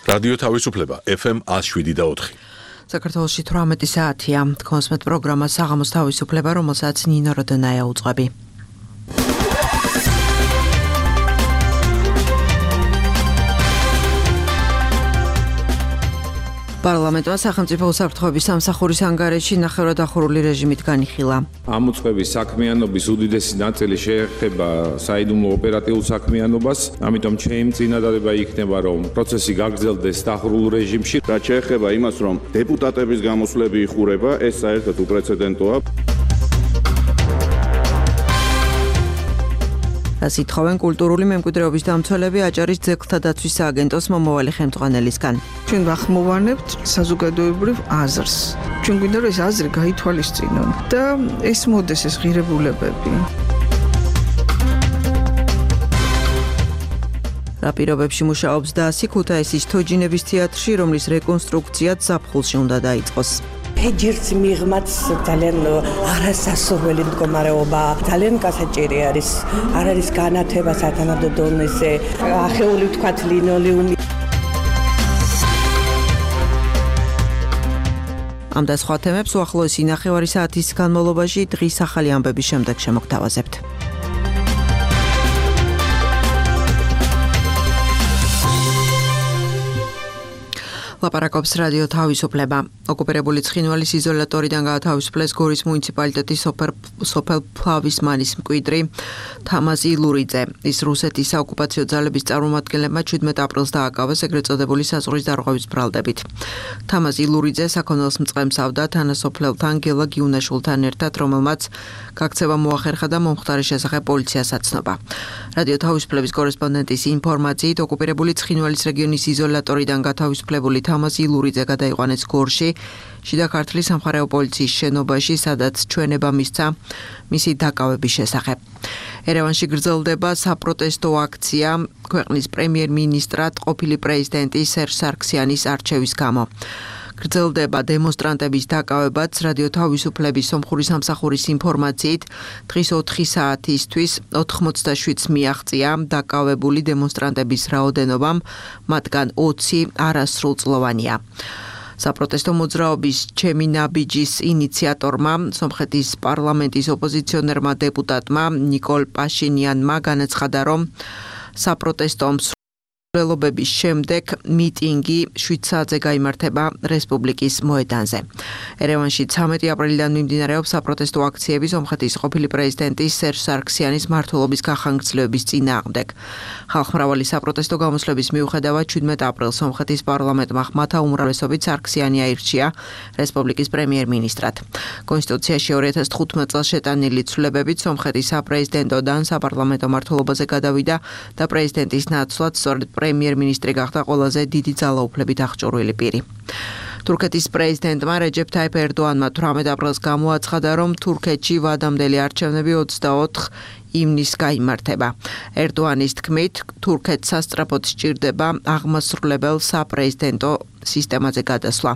რადიო თავისუფლება FM 107.4. საქართველოში 18 საათია. კონსმეთ პროგრამა საღამოს თავისუფლება, რომელსაც ნინო როდონაია უძღვები. პარლამენტმა სახელმწიფო უსაფრთხოების სამსახურის ანგარიში ნახევრადახურული რეჟიმით განიხილა. ამ უწყების საქმიანობის უდიდესი ნაწილი შეეხება საიდუმლო ოპერატიულ საქმიანობას, ამიტომ ჩემი წინადადება იქნება, რომ პროცესი გაგრძელდეს დახურულ რეჟიმში. რაც შეეხება იმას, რომ დეპუტატების გამოსვლები იხურება, ეს საერთოდ უპრეცედენტოა. ითხოვენ კულტურული მემკვიდრეობის დამცველები აჭარის ძეგლთა დაცვის სააგენტოს მომავალი ხელმძღვანელისგან. ჩვენ ვახმოვანებთ საზოგადოებრივ აზრს. ჩვენ გვინდა რომ ეს აზრი გაითვალისწინონ და ეს მოდეს ეს ღირებულებები. რა პირობებში მუშაობს დასი ქუთაისის თოჯინების თეატრში, რომლის რეკონსტრუქციაც ზაფხულში უნდა დაიწყოს. ფეჯერს მიღმაც ძალიან არასასურველი მდგომარეობა, ძალიან გასაჭირი არის. არ არის განათება სათანადო დონეზე, ახეული ვთქვათ ლინოლეუმი. ამ და სხვა თემებს უახლოესი ნახევარი საათის განმავლობაში დღის ახალი ამბების შემდეგ შემოგთავაზებთ. ლაპარაკობს რადიო თავისუფლება. ოკუპირებული ცხინვალის იზოლატორიდან გაათავისუფლეს გორის მუნიციპალიტეტის სოფელ ფლავისმანის მკვიდრი თამაზ ილურიძე. ის რუსეთის საოკუპაციო ძალების წარმომადგენლებმა 17 აპრილს დააკავეს ეგრეთ წოდებული საზღვრის დარღვევის ბრალდებით. თამაზ ილურიძე საქონელს მწყემსავდა თანასოფლელთან გელა გიუნაშვილთან ერთად, რომელმაც გაქცევა მოახერხა და მომხდარის შესახებ პოლიციას აცნობა. რადიო თავისუფლების კორესპონდენტის ინფორმაციით, ოკუპირებული ცხინვალის რეგიონის იზოლატორიდან გათავისუფლებული თამაზ ილურიძე გადაიყვანეს გორში, შიდა ქართლის სამხარეო პოლიციის შენობაში, სადაც ჩვენება მისცა მისი დაკავების შესახებ. ერევანში გრძელდება საპროტესტო აქცია ქვეყნის პრემიერ-მინისტრად ყოფილი პრეზიდენტი სერჟ სარქსიანის არჩევის გამო. გრძელდება დემონსტრანტების დაკავებაც. რადიო თავისუფლების სომხური სამსახურის ინფორმაციით, დღის 4 საათისთვის 87-ს მიაღწია დაკავებული დემონსტრანტების რაოდენობამ, მათგან 20 არასრულწლოვანია. საპროტესტო მოძრაობის ჩემი ნაბიჯის ინიციატორმა, სომხეთის პარლამენტის ოპოზიციონერმა დეპუტატმა ნიკოლ პაშინიანმა განაცხადა, რომ საპროტესტო მცველობების შემდეგ მიტინგი 7 საათზე გაიმართება რესპუბლიკის მოედანზე. ერევანში 13 აპრილიდან მიმდინარეობს საპროტესტო აქციები სომხეთის ყოფილი პრეზიდენტის სერჟ სარქსიანის მმართველობის გახანგრძლივების წინააღმდეგ. ხალხმრავალი საპროტესტო გამოსვლების მიუხედავად 17 აპრილს სომხეთის პარლამენტმა ხმათა უმრავლესობით სარქსიანი აირჩია რესპუბლიკის პრემიერ-მინისტრად. კონსტიტუციაში 2015 წელს შეტანილი ცვლილებებით სომხეთის საპრეზიდენტოდან საპარლამენტო მმართველობაზე გადავიდა და პრეზიდენტის ნაცვლად სწორედ პრემიერ-მინისტრი გახდა ყველაზე დიდი ძალაუფლებით აღჭურვილი პირი. თურქეთის პრეზიდენტმა რეჯეფ თაიფ ერდოანმა 18 აპრილს გამოაცხადა, რომ თურქეთში ვადამდელი არჩევნები 24 ივნისს გაიმართება. ერდოანის თქმით, თურქეთს სასწრაფოდ სჭირდება აღმასრულებელ საპრეზიდენტო სისტემაზე გადასვლა.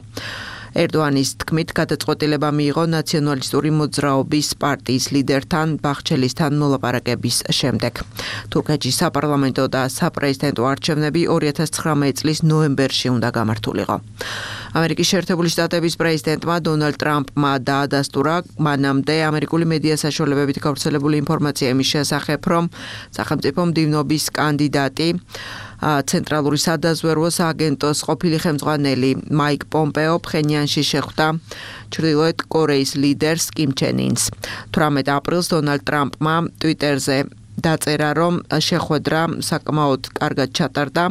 ერდოანის თქმით, გადაწყვეტილება მიიღო ნაციონალისტური მოძრაობის პარტიის ლიდერთან ბახჩელისთან მოლაპარაკების შემდეგ. თურქეთში საპარლამენტო და საპრეზიდენტო არჩევნები 2019 წლის ნოემბერში უნდა გამართულიყო. ამერიკის შეერთებული შტატების პრეზიდენტმა დონალდ ტრამპმა დაადასტურა მანამდე ამერიკული მედია საშუალებებით გავრცელებული ინფორმაცია იმის შესახებ, რომ სახელმწიფო მდივნობის კანდიდატი ცენტრალური სადაზვერვო სააგენტოს ყოფილი ხელმძღვანელი მაიკ პომპეო ფხენიანში შეხვდა ჩრდილოეთ კორეის ლიდერს კიმ ჩენ ინს. 18 აპრილს დონალდ ტრამპმა ტვიტერზე დაწერა, რომ შეხვედრა საკმაოდ კარგად ჩატარდა,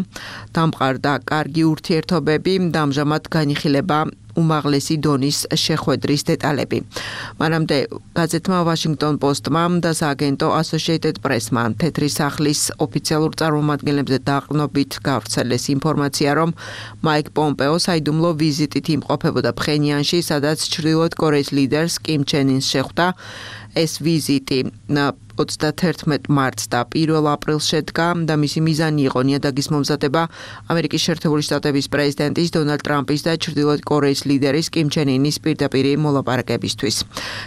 დამყარდა კარგი ურთიერთობები და ამჟამად განიხილება უმაღლესი დონის შეხვედრის დეტალები. მანამდე გაზეთმა Washington Post-მა და სააგენტო Associated Press-მა თეთრი სახლის ოფიციალურ წარმომადგენლებზე დაყრდნობით გავრცელეს ინფორმაცია, რომ მაიკ პომპეო საიდუმლო ვიზიტით იმყოფებოდა ფხენიანში, სადაც ჩრდილოეთ კორეის ლიდერს კიმ ჩენ ინს შეხვდა. ეს ვიზიტი 31 მარტს და 1 აპრილს შედგა და მისი მიზანი იყო ნიადაგის მომზადება ამერიკის შეერთებული შტატების პრეზიდენტის დონალდ ტრამპის და ჩრდილოეთ კორეის ლიდერის კიმ ჩენ ინის პირდაპირი მოლაპარაკებისთვის.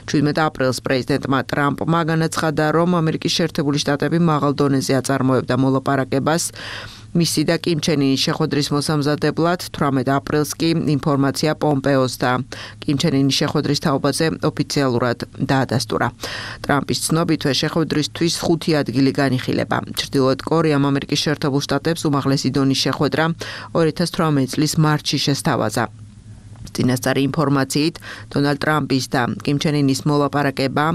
17 აპრილს პრეზიდენტმა ტრამპმა განაცხადა, რომ ამერიკის შეერთებული შტატები მაღალ დონეზე აწარმოებდა მოლაპარაკებას მისი და კიმ ჩენ ინის შეხვედრის მოსამზადებლად 18 აპრილს კი ინფორმაცია პომპეოს და კიმ ჩენ ინის შეხვედრის თაობაზე ოფიციალურად დაადასტურა. ტრამპის ცნობითვე შეხვედრისთვის 5 ადგილი განიხილება. ჩრდილოეთ კორეამ ამერიკის შეერთებულ შტატებს უმაღლესი დონის შეხვედრა 2018 წლის მარტში შესთავაზა. წინასწარი ინფორმაციით, დონალდ ტრამპის და კიმ ჩენ ინის მოლაპარაკება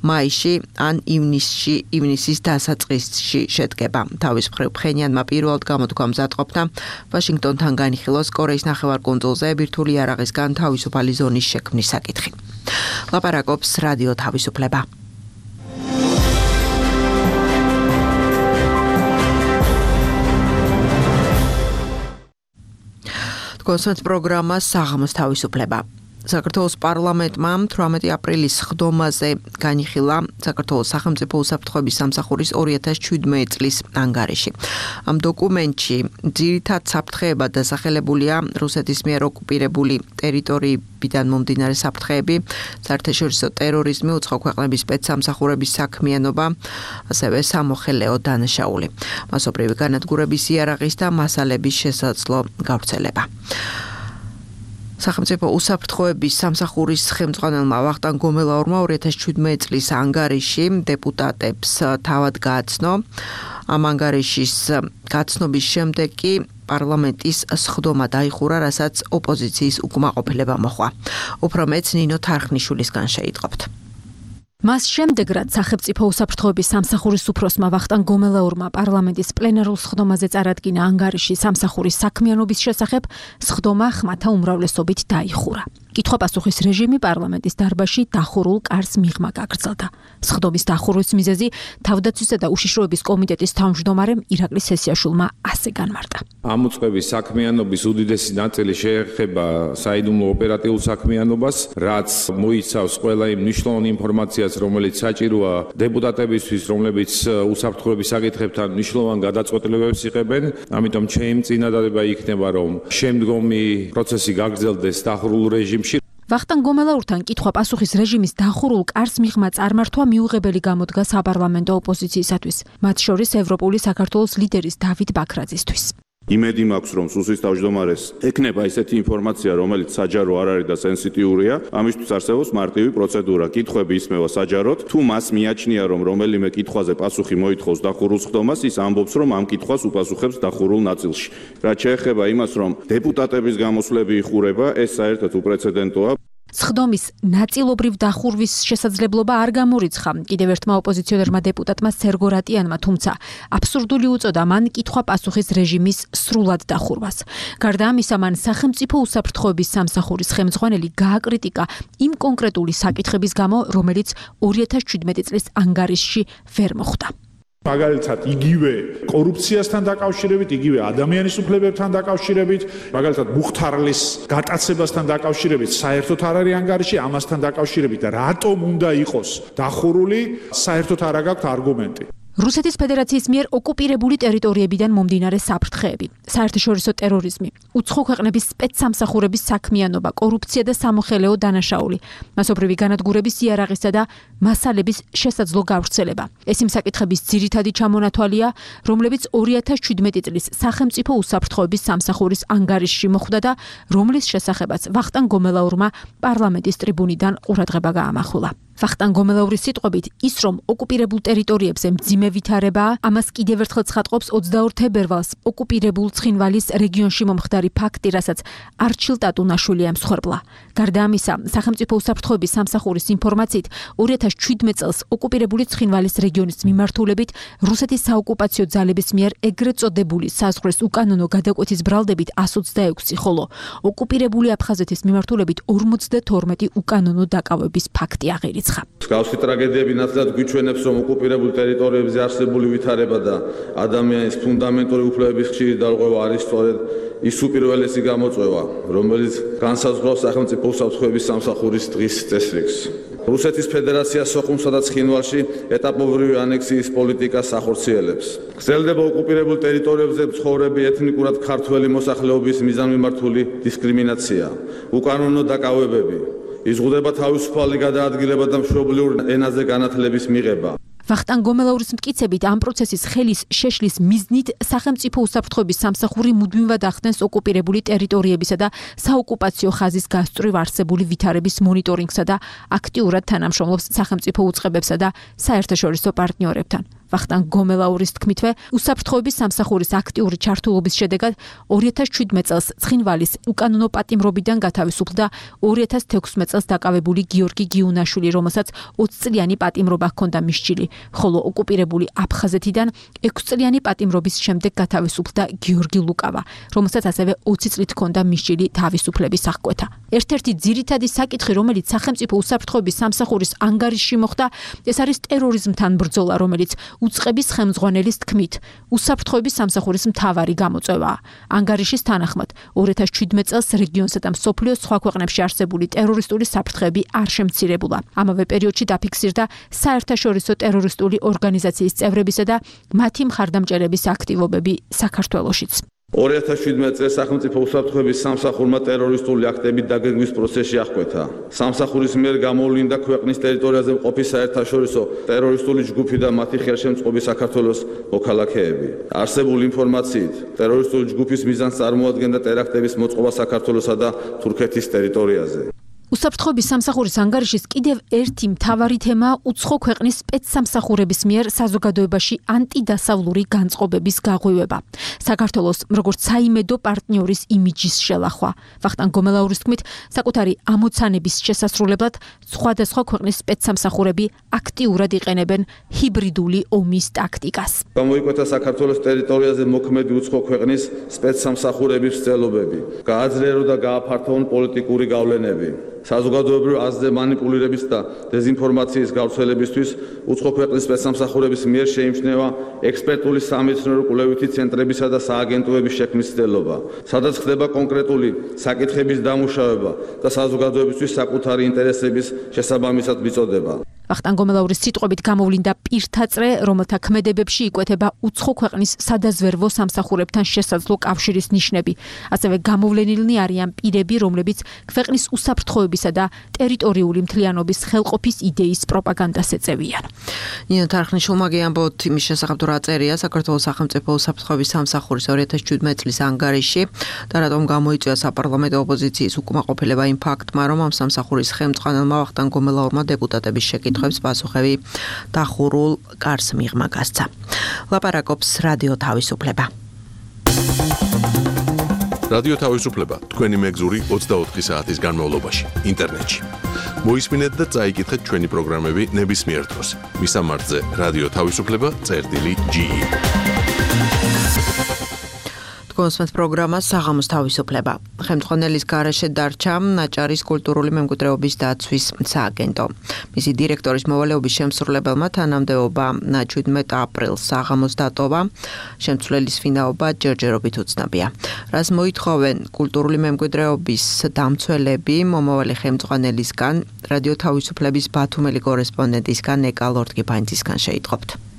მაისში ან ივნისის დასაწყისში შედგება. თავის მხრივ ფხენიანმა პირველად გამოთქვა მზადყოფნა ვაშინგტონთან განიხილოს კორეის ნახევარკუნძულზე ბირთვული იარაღისგან თავისუფალი ზონის შექმნის საკითხი. ლაპარაკობს რადიო თავისუფლება. კონსერტ პროგრამა საღამოს თავისუფლება. საქართველოს პარლამენტმა 18 აპრილის ხდომაზე განიხილა საქართველოს სახელმწიფო უსაფრთხოების სამსახურის 2017 წლის ანგარიში. ამ დოკუმენტში ძირითად საფრთხეებად დასახელებულია რუსეთის მიერ ოკუპირებული ტერიტორიებიდან მომდინარე საფრთხეები, საერთაშორისო ტერორიზმი, უცხო ქვეყნების სპეცსამსახურების საქმიანობა, ასევე სამოხელეო დანაშაული, მასობრივი განადგურების იარაღის და მასალების შესაძლო გავრცელება. სახელმწიფო უსაფრთხოების სამსახურის ხელმძღვანელმა ვახტანგ გომელაურმა 2017 წლის ანგარიში დეპუტატებს თავად გააცნო. ამ ანგარიშის გაცნობის შემდეგ კი პარლამენტის სხდომა დაიხურა, რასაც ოპოზიციის უკმაყოფილება მოჰყვა. უფრო მეც ნინო თარხნიშვილისგან შეიტყობთ. მას შემდეგ, რაც სახელმწიფო უსაფრთხოების სამსახურის უფროსმა ვახტანგ გომელაურმა პარლამენტის პლენარულ სხდომაზე წარადგინა ანგარიში სამსახურის საქმიანობის შესახებ, სხდომა ხმათა უმრავლესობით დაიხურა. კითხვა-პასუხის რეჟიმი პარლამენტის დარბაზში დახურულ კარს მიღმა გაგრძელდა. სხდომის დახურვის მიზეზი თავდაცვისა და უშიშროების კომიტეტის თავმჯდომარემ ირაკლი სესიაშვილმა ასე განმარტა. ამ უწყების საქმიანობის უდიდესი ნაწილი შეეხება საიდუმლო ოპერატიულ საქმიანობას, რაც მოიცავს ყველა იმ მნიშვნელოვან ინფორმაციას, რომელიც საჭიროა დეპუტატებისთვის, რომლებიც უსაფრთხოების საკითხებთან მნიშვნელოვან გადაწყვეტილებებს იღებენ. ამიტომ ჩემი წინადადება იქნება, რომ შემდგომი პროცესი გაგრძელდეს დახურულ რეჟიმში. ვახტანგ გომელაურთან კითხვა-პასუხის რეჟიმის დახურულ კარს მიღმა წარმართვა მიუღებელი გამოდგა საპარლამენტო ოპოზიციისათვის, მათ შორის ევროპული საქართველოს ლიდერის დავით ბაქრაძისთვის. იმედი მაქვს, რომ სუსის თავმჯდომარეს ექნება ისეთი ინფორმაცია, რომელიც საჯარო არ არის და სენსიტიურია, ამისთვის არსებობს მარტივი პროცედურა. კითხვები ისმევა საჯაროდ, თუ მას მიაჩნია, რომ რომელიმე კითხვაზე პასუხი მოითხოვს დახურულ სხდომას, ის ამბობს, რომ ამ კითხვას უპასუხებს დახურულ ნაწილში. რაც შეეხება იმას, რომ დეპუტატების გამოსვლები იხურება, ეს საერთოდ უპრეცედენტოა. სხდომის ნაწილობრივ დახურვის შესაძლებლობა არ გამორიცხა კიდევ ერთმა ოპოზიციონერმა დეპუტატმა სერგო რატიანმა, თუმცა აბსურდული უწოდა მან კითხვა-პასუხის რეჟიმის სრულად დახურვას. გარდა ამისა, მან სახელმწიფო უსაფრთხოების სამსახურის ხელმძღვანელი გააკრიტიკა იმ კონკრეტული საკითხების გამო, რომელიც 2017 წლის ანგარიშში ვერ მოხვდა. მაგალითად, იგივე კორუფციასთან დაკავშირებით, იგივე ადამიანის უფლებებთან დაკავშირებით, მაგალითად, მუხთარლის გატაცებასთან დაკავშირებით საერთოდ არ არის ანგარიში, ამასთან დაკავშირებით და რატომ უნდა იყოს დახურული, საერთოდ არ აქვს არგუმენტი. რუსეთის ფედერაციის მიერ ოკუპირებული ტერიტორიებიდან მომდინარე საფრთხეები, საერთაშორისო ტერორიზმი, უცხო ქვეყნების სპეცსამსახურების საქმიანობა, კორუფცია და სამოხელეო დანაშაული, მასობრივი განადგურების იარაღისა და მასალების შესაძლო გავრცელება. ეს იმ საკითხების ძირითადი ჩამონათვალია, რომლებიც 2017 წლის სახელმწიფო უსაფრთხოების სამსახურის ანგარიშში მოხვდა და რომლის შესახებაც ვახტანგ გომელაურმა პარლამენტის ტრიბუნიდან ყურადღება გაამახვილა. ვახტანგ გომელაურის სიტყვებით, ის რომ ოკუპირებულ ტერიტორიებზე მძიმე ვითარებაა, ამას კიდევ ერთხელ ცხადყოფს 22 თებერვალს ოკუპირებულ ცხინვალის რეგიონში მომხდარი ფაქტი, რასაც არჩილ ტატუნაშვილი ემსხვერპლა. გარდა ამისა, სახელმწიფო უსაფრთხოების სამსახურის ინფორმაციით, 2017 წელს ოკუპირებული ცხინვალის რეგიონის მიმართულებით რუსეთის საოკუპაციო ძალების მიერ ეგრეთ წოდებული საზღვრის უკანონო გადაკვეთის ბრალდებით 126, ხოლო ოკუპირებული აფხაზეთის მიმართულებით 52 უკანონო დაკავების ფაქტი აღიარეს. მსგავსი ტრაგედიები ნათლად გვიჩვენებს, რომ ოკუპირებულ ტერიტორიებზე არსებული ვითარება და ადამიანის ფუნდამენტური უფლებების ხშირი დარღვევა არის სწორედ ის უპირველესი გამოწვევა, რომელიც განსაზღვრავს სახელმწიფო უსაფრთხოების სამსახურის დღის წესრიგს. რუსეთის ფედერაცია სოხუმსა და ცხინვალში ეტაპობრივი ანექსიის პოლიტიკას ახორციელებს. გრძელდება ოკუპირებულ ტერიტორიებზე მცხოვრები ეთნიკურად ქართველი მოსახლეობის მიზანმიმართული დისკრიმინაცია, უკანონო დაკავებები. იზღუდება თავისუფალი გადაადგილება და მშობლიურ ენაზე განათლების მიღება. ვახტანგ გომელაურის მტკიცებით ამ პროცესის ხელის შეშლის მიზნით სახელმწიფო უსაფრთხოების სამსახური მუდმივად ახდენს ოკუპირებული ტერიტორიებისა და საოკუპაციო ხაზის გასწვრივ არსებული ვითარების მონიტორინგსა და აქტიურად თანამშრომლობს სახელმწიფო უწყებებსა და საერთაშორისო პარტნიორებთან. ვახტანგ გომელაურის თქმითვე, უსაფრთხოების სამსახურის აქტიური ჩართულობის შედეგად 2017 წელს ცხინვალის უკანონო პატიმრობიდან გათავისუფლდა 2016 წელს დაკავებული გიორგი გიუნაშვილი, რომელსაც 20 წლიანი პატიმრობა ჰქონდა მისჯილი, ხოლო ოკუპირებული აფხაზეთიდან 6 წლიანი პატიმრობის შემდეგ გათავისუფლდა გიორგი ლუკავა, რომელსაც ასევე 20 წლით ჰქონდა მისჯილი თავისუფლების აღკვეთა. ერთ-ერთი ძირითადი საკითხი, რომელიც სახელმწიფო უსაფრთხოების სამსახურის ანგარიშში მოხდა, ეს არის ტერორიზმთან ბრძოლა, რომელიც უწყების ხელმძღვანელის თქმით, უსაფრთხოების სამსახურის მთავარი გამოწვევაა. ანგარიშის თანახმად, 2017 წელს რეგიონსა და მსოფლიოს სხვა ქვეყნებში არსებული ტერორისტული საფრთხეები არ შემცირებულა. ამავე პერიოდში დაფიქსირდა საერთაშორისო ტერორისტული ორგანიზაციის წევრებისა და მათი მხარდამჭერების აქტივობები საქართველოშიც. 2017 წელს სახელმწიფო უსაფრთხოების სამსახურმა ტერორისტული აქტების დაგეგმვის პროცესში აღკვეთა. სამსახურის მიერ გამოვლინდა ქვეყნის ტერიტორიაზე მყოფი საერთაშორისო ტერორისტული ჯგუფი და მათი ხელშემწყობი საქართველოს მოქალაქეები. არსებული ინფორმაციით, ტერორისტული ჯგუფის მიზანს წარმოადგენდა ტერაქტების მოწყობა საქართველოსა და თურქეთის ტერიტორიაზე. უსაფრთხოების სამსახურის ანგარიშის კიდევ ერთი მთავარი თემაა უცხო ქვეყნის სპეცსამსახურების მიერ საზოგადოებაში ანტიდასავლური განწყობების გაღვივება. საქართველოს როგორც საიმედო პარტნიორის იმიჯის შელახვა. ვახტანგ გომელაურის თქმით, საკუთარი ამოცანების შესასრულებლად სხვადასხვა ქვეყნის სპეცსამსახურები აქტიურად იყენებენ ჰიბრიდული ომის ტაქტიკას. გამოიკვეთა საქართველოს ტერიტორიაზე მოქმედი უცხო ქვეყნის სპეცსამსახურების მცდელობები, გააძლიერო და გააფართოვონ პოლიტიკური გავლენები. საზოგადოებრივ აზრზე მანიპულირების და დეზინფორმაციის გავრცელებისთვის უცხო ქვეყნის სპეცსამსახურების მიერ შეიმჩნევა ექსპერტული სამეცნიერო კვლევითი ცენტრებისა და სააგენტოების შექმნის ცდელობა, სადაც ხდება კონკრეტული საკითხების დამუშავება და საზოგადოებისთვის საკუთარი ინტერესების შესაბამისად მიწოდება. ვახტანგ გომელაურის სიტყვებით გამოვლინდა პირთაწრე, რომელთა ქმედებებში იკვეთება უცხო ქვეყნის სადაზვერვო სამსახურებთან შესაძლო კავშირის ნიშნები. ასევე გამოვლენილნი არიან პირები, რომლებიც ქვეყნის უსაფრთხოებისა და ტერიტორიული მთლიანობის ხელყოფის იდეის პროპაგანდას ეწევიან. ნინო თარხნიშვილმა გიამბოთ იმის შესახებ, თუ რა წერია საქართველოს სახელმწიფო უსაფრთხოების სამსახურის 2017 წლის ანგარიში და რატომ გამოიწვია საპარლამენტო ოპოზიციის უკმაყოფილება იმ ფაქტმა, რომ ამ სამსახურის ხელმძღვანელმა ვახტანგ გომელაურმა დეპუტატების შეკითხვებს პასუხები დახურულ კარს მიღმა გასცა. ლაპარაკობს რადიო თავისუფლება. რადიო თავისუფლება თქვენი მეგზური 24 საათის განმავლობაში ინტერნეტში. მოისმინეთ და წაიკითხეთ ჩვენი პროგრამები ნებისმიერ დროს. მისამართზე რადიო თავისუფლება.ge. კონსმეთ პროგრამა საღამოს თავისუფლება. ხელმძღვანელის გარეშე დარჩა ნაჭარის კულტურული მემკვიდრეობის დაცვის სააგენტო. მისი დირექტორის მოვალეობის შემსრულებელმა თანამდებობა 17 აპრილს საღამოს დატოვა. შემცვლელის ვინაობა ჯერჯერობით უცნობია. რას მოითხოვენ კულტურული მემკვიდრეობის დამცველები მომავალი ხელმძღვანელისგან, რადიო თავისუფლების ბათუმელი კორესპონდენტისგან ეკა ლორდგიფანძისგან შეიტყობთ.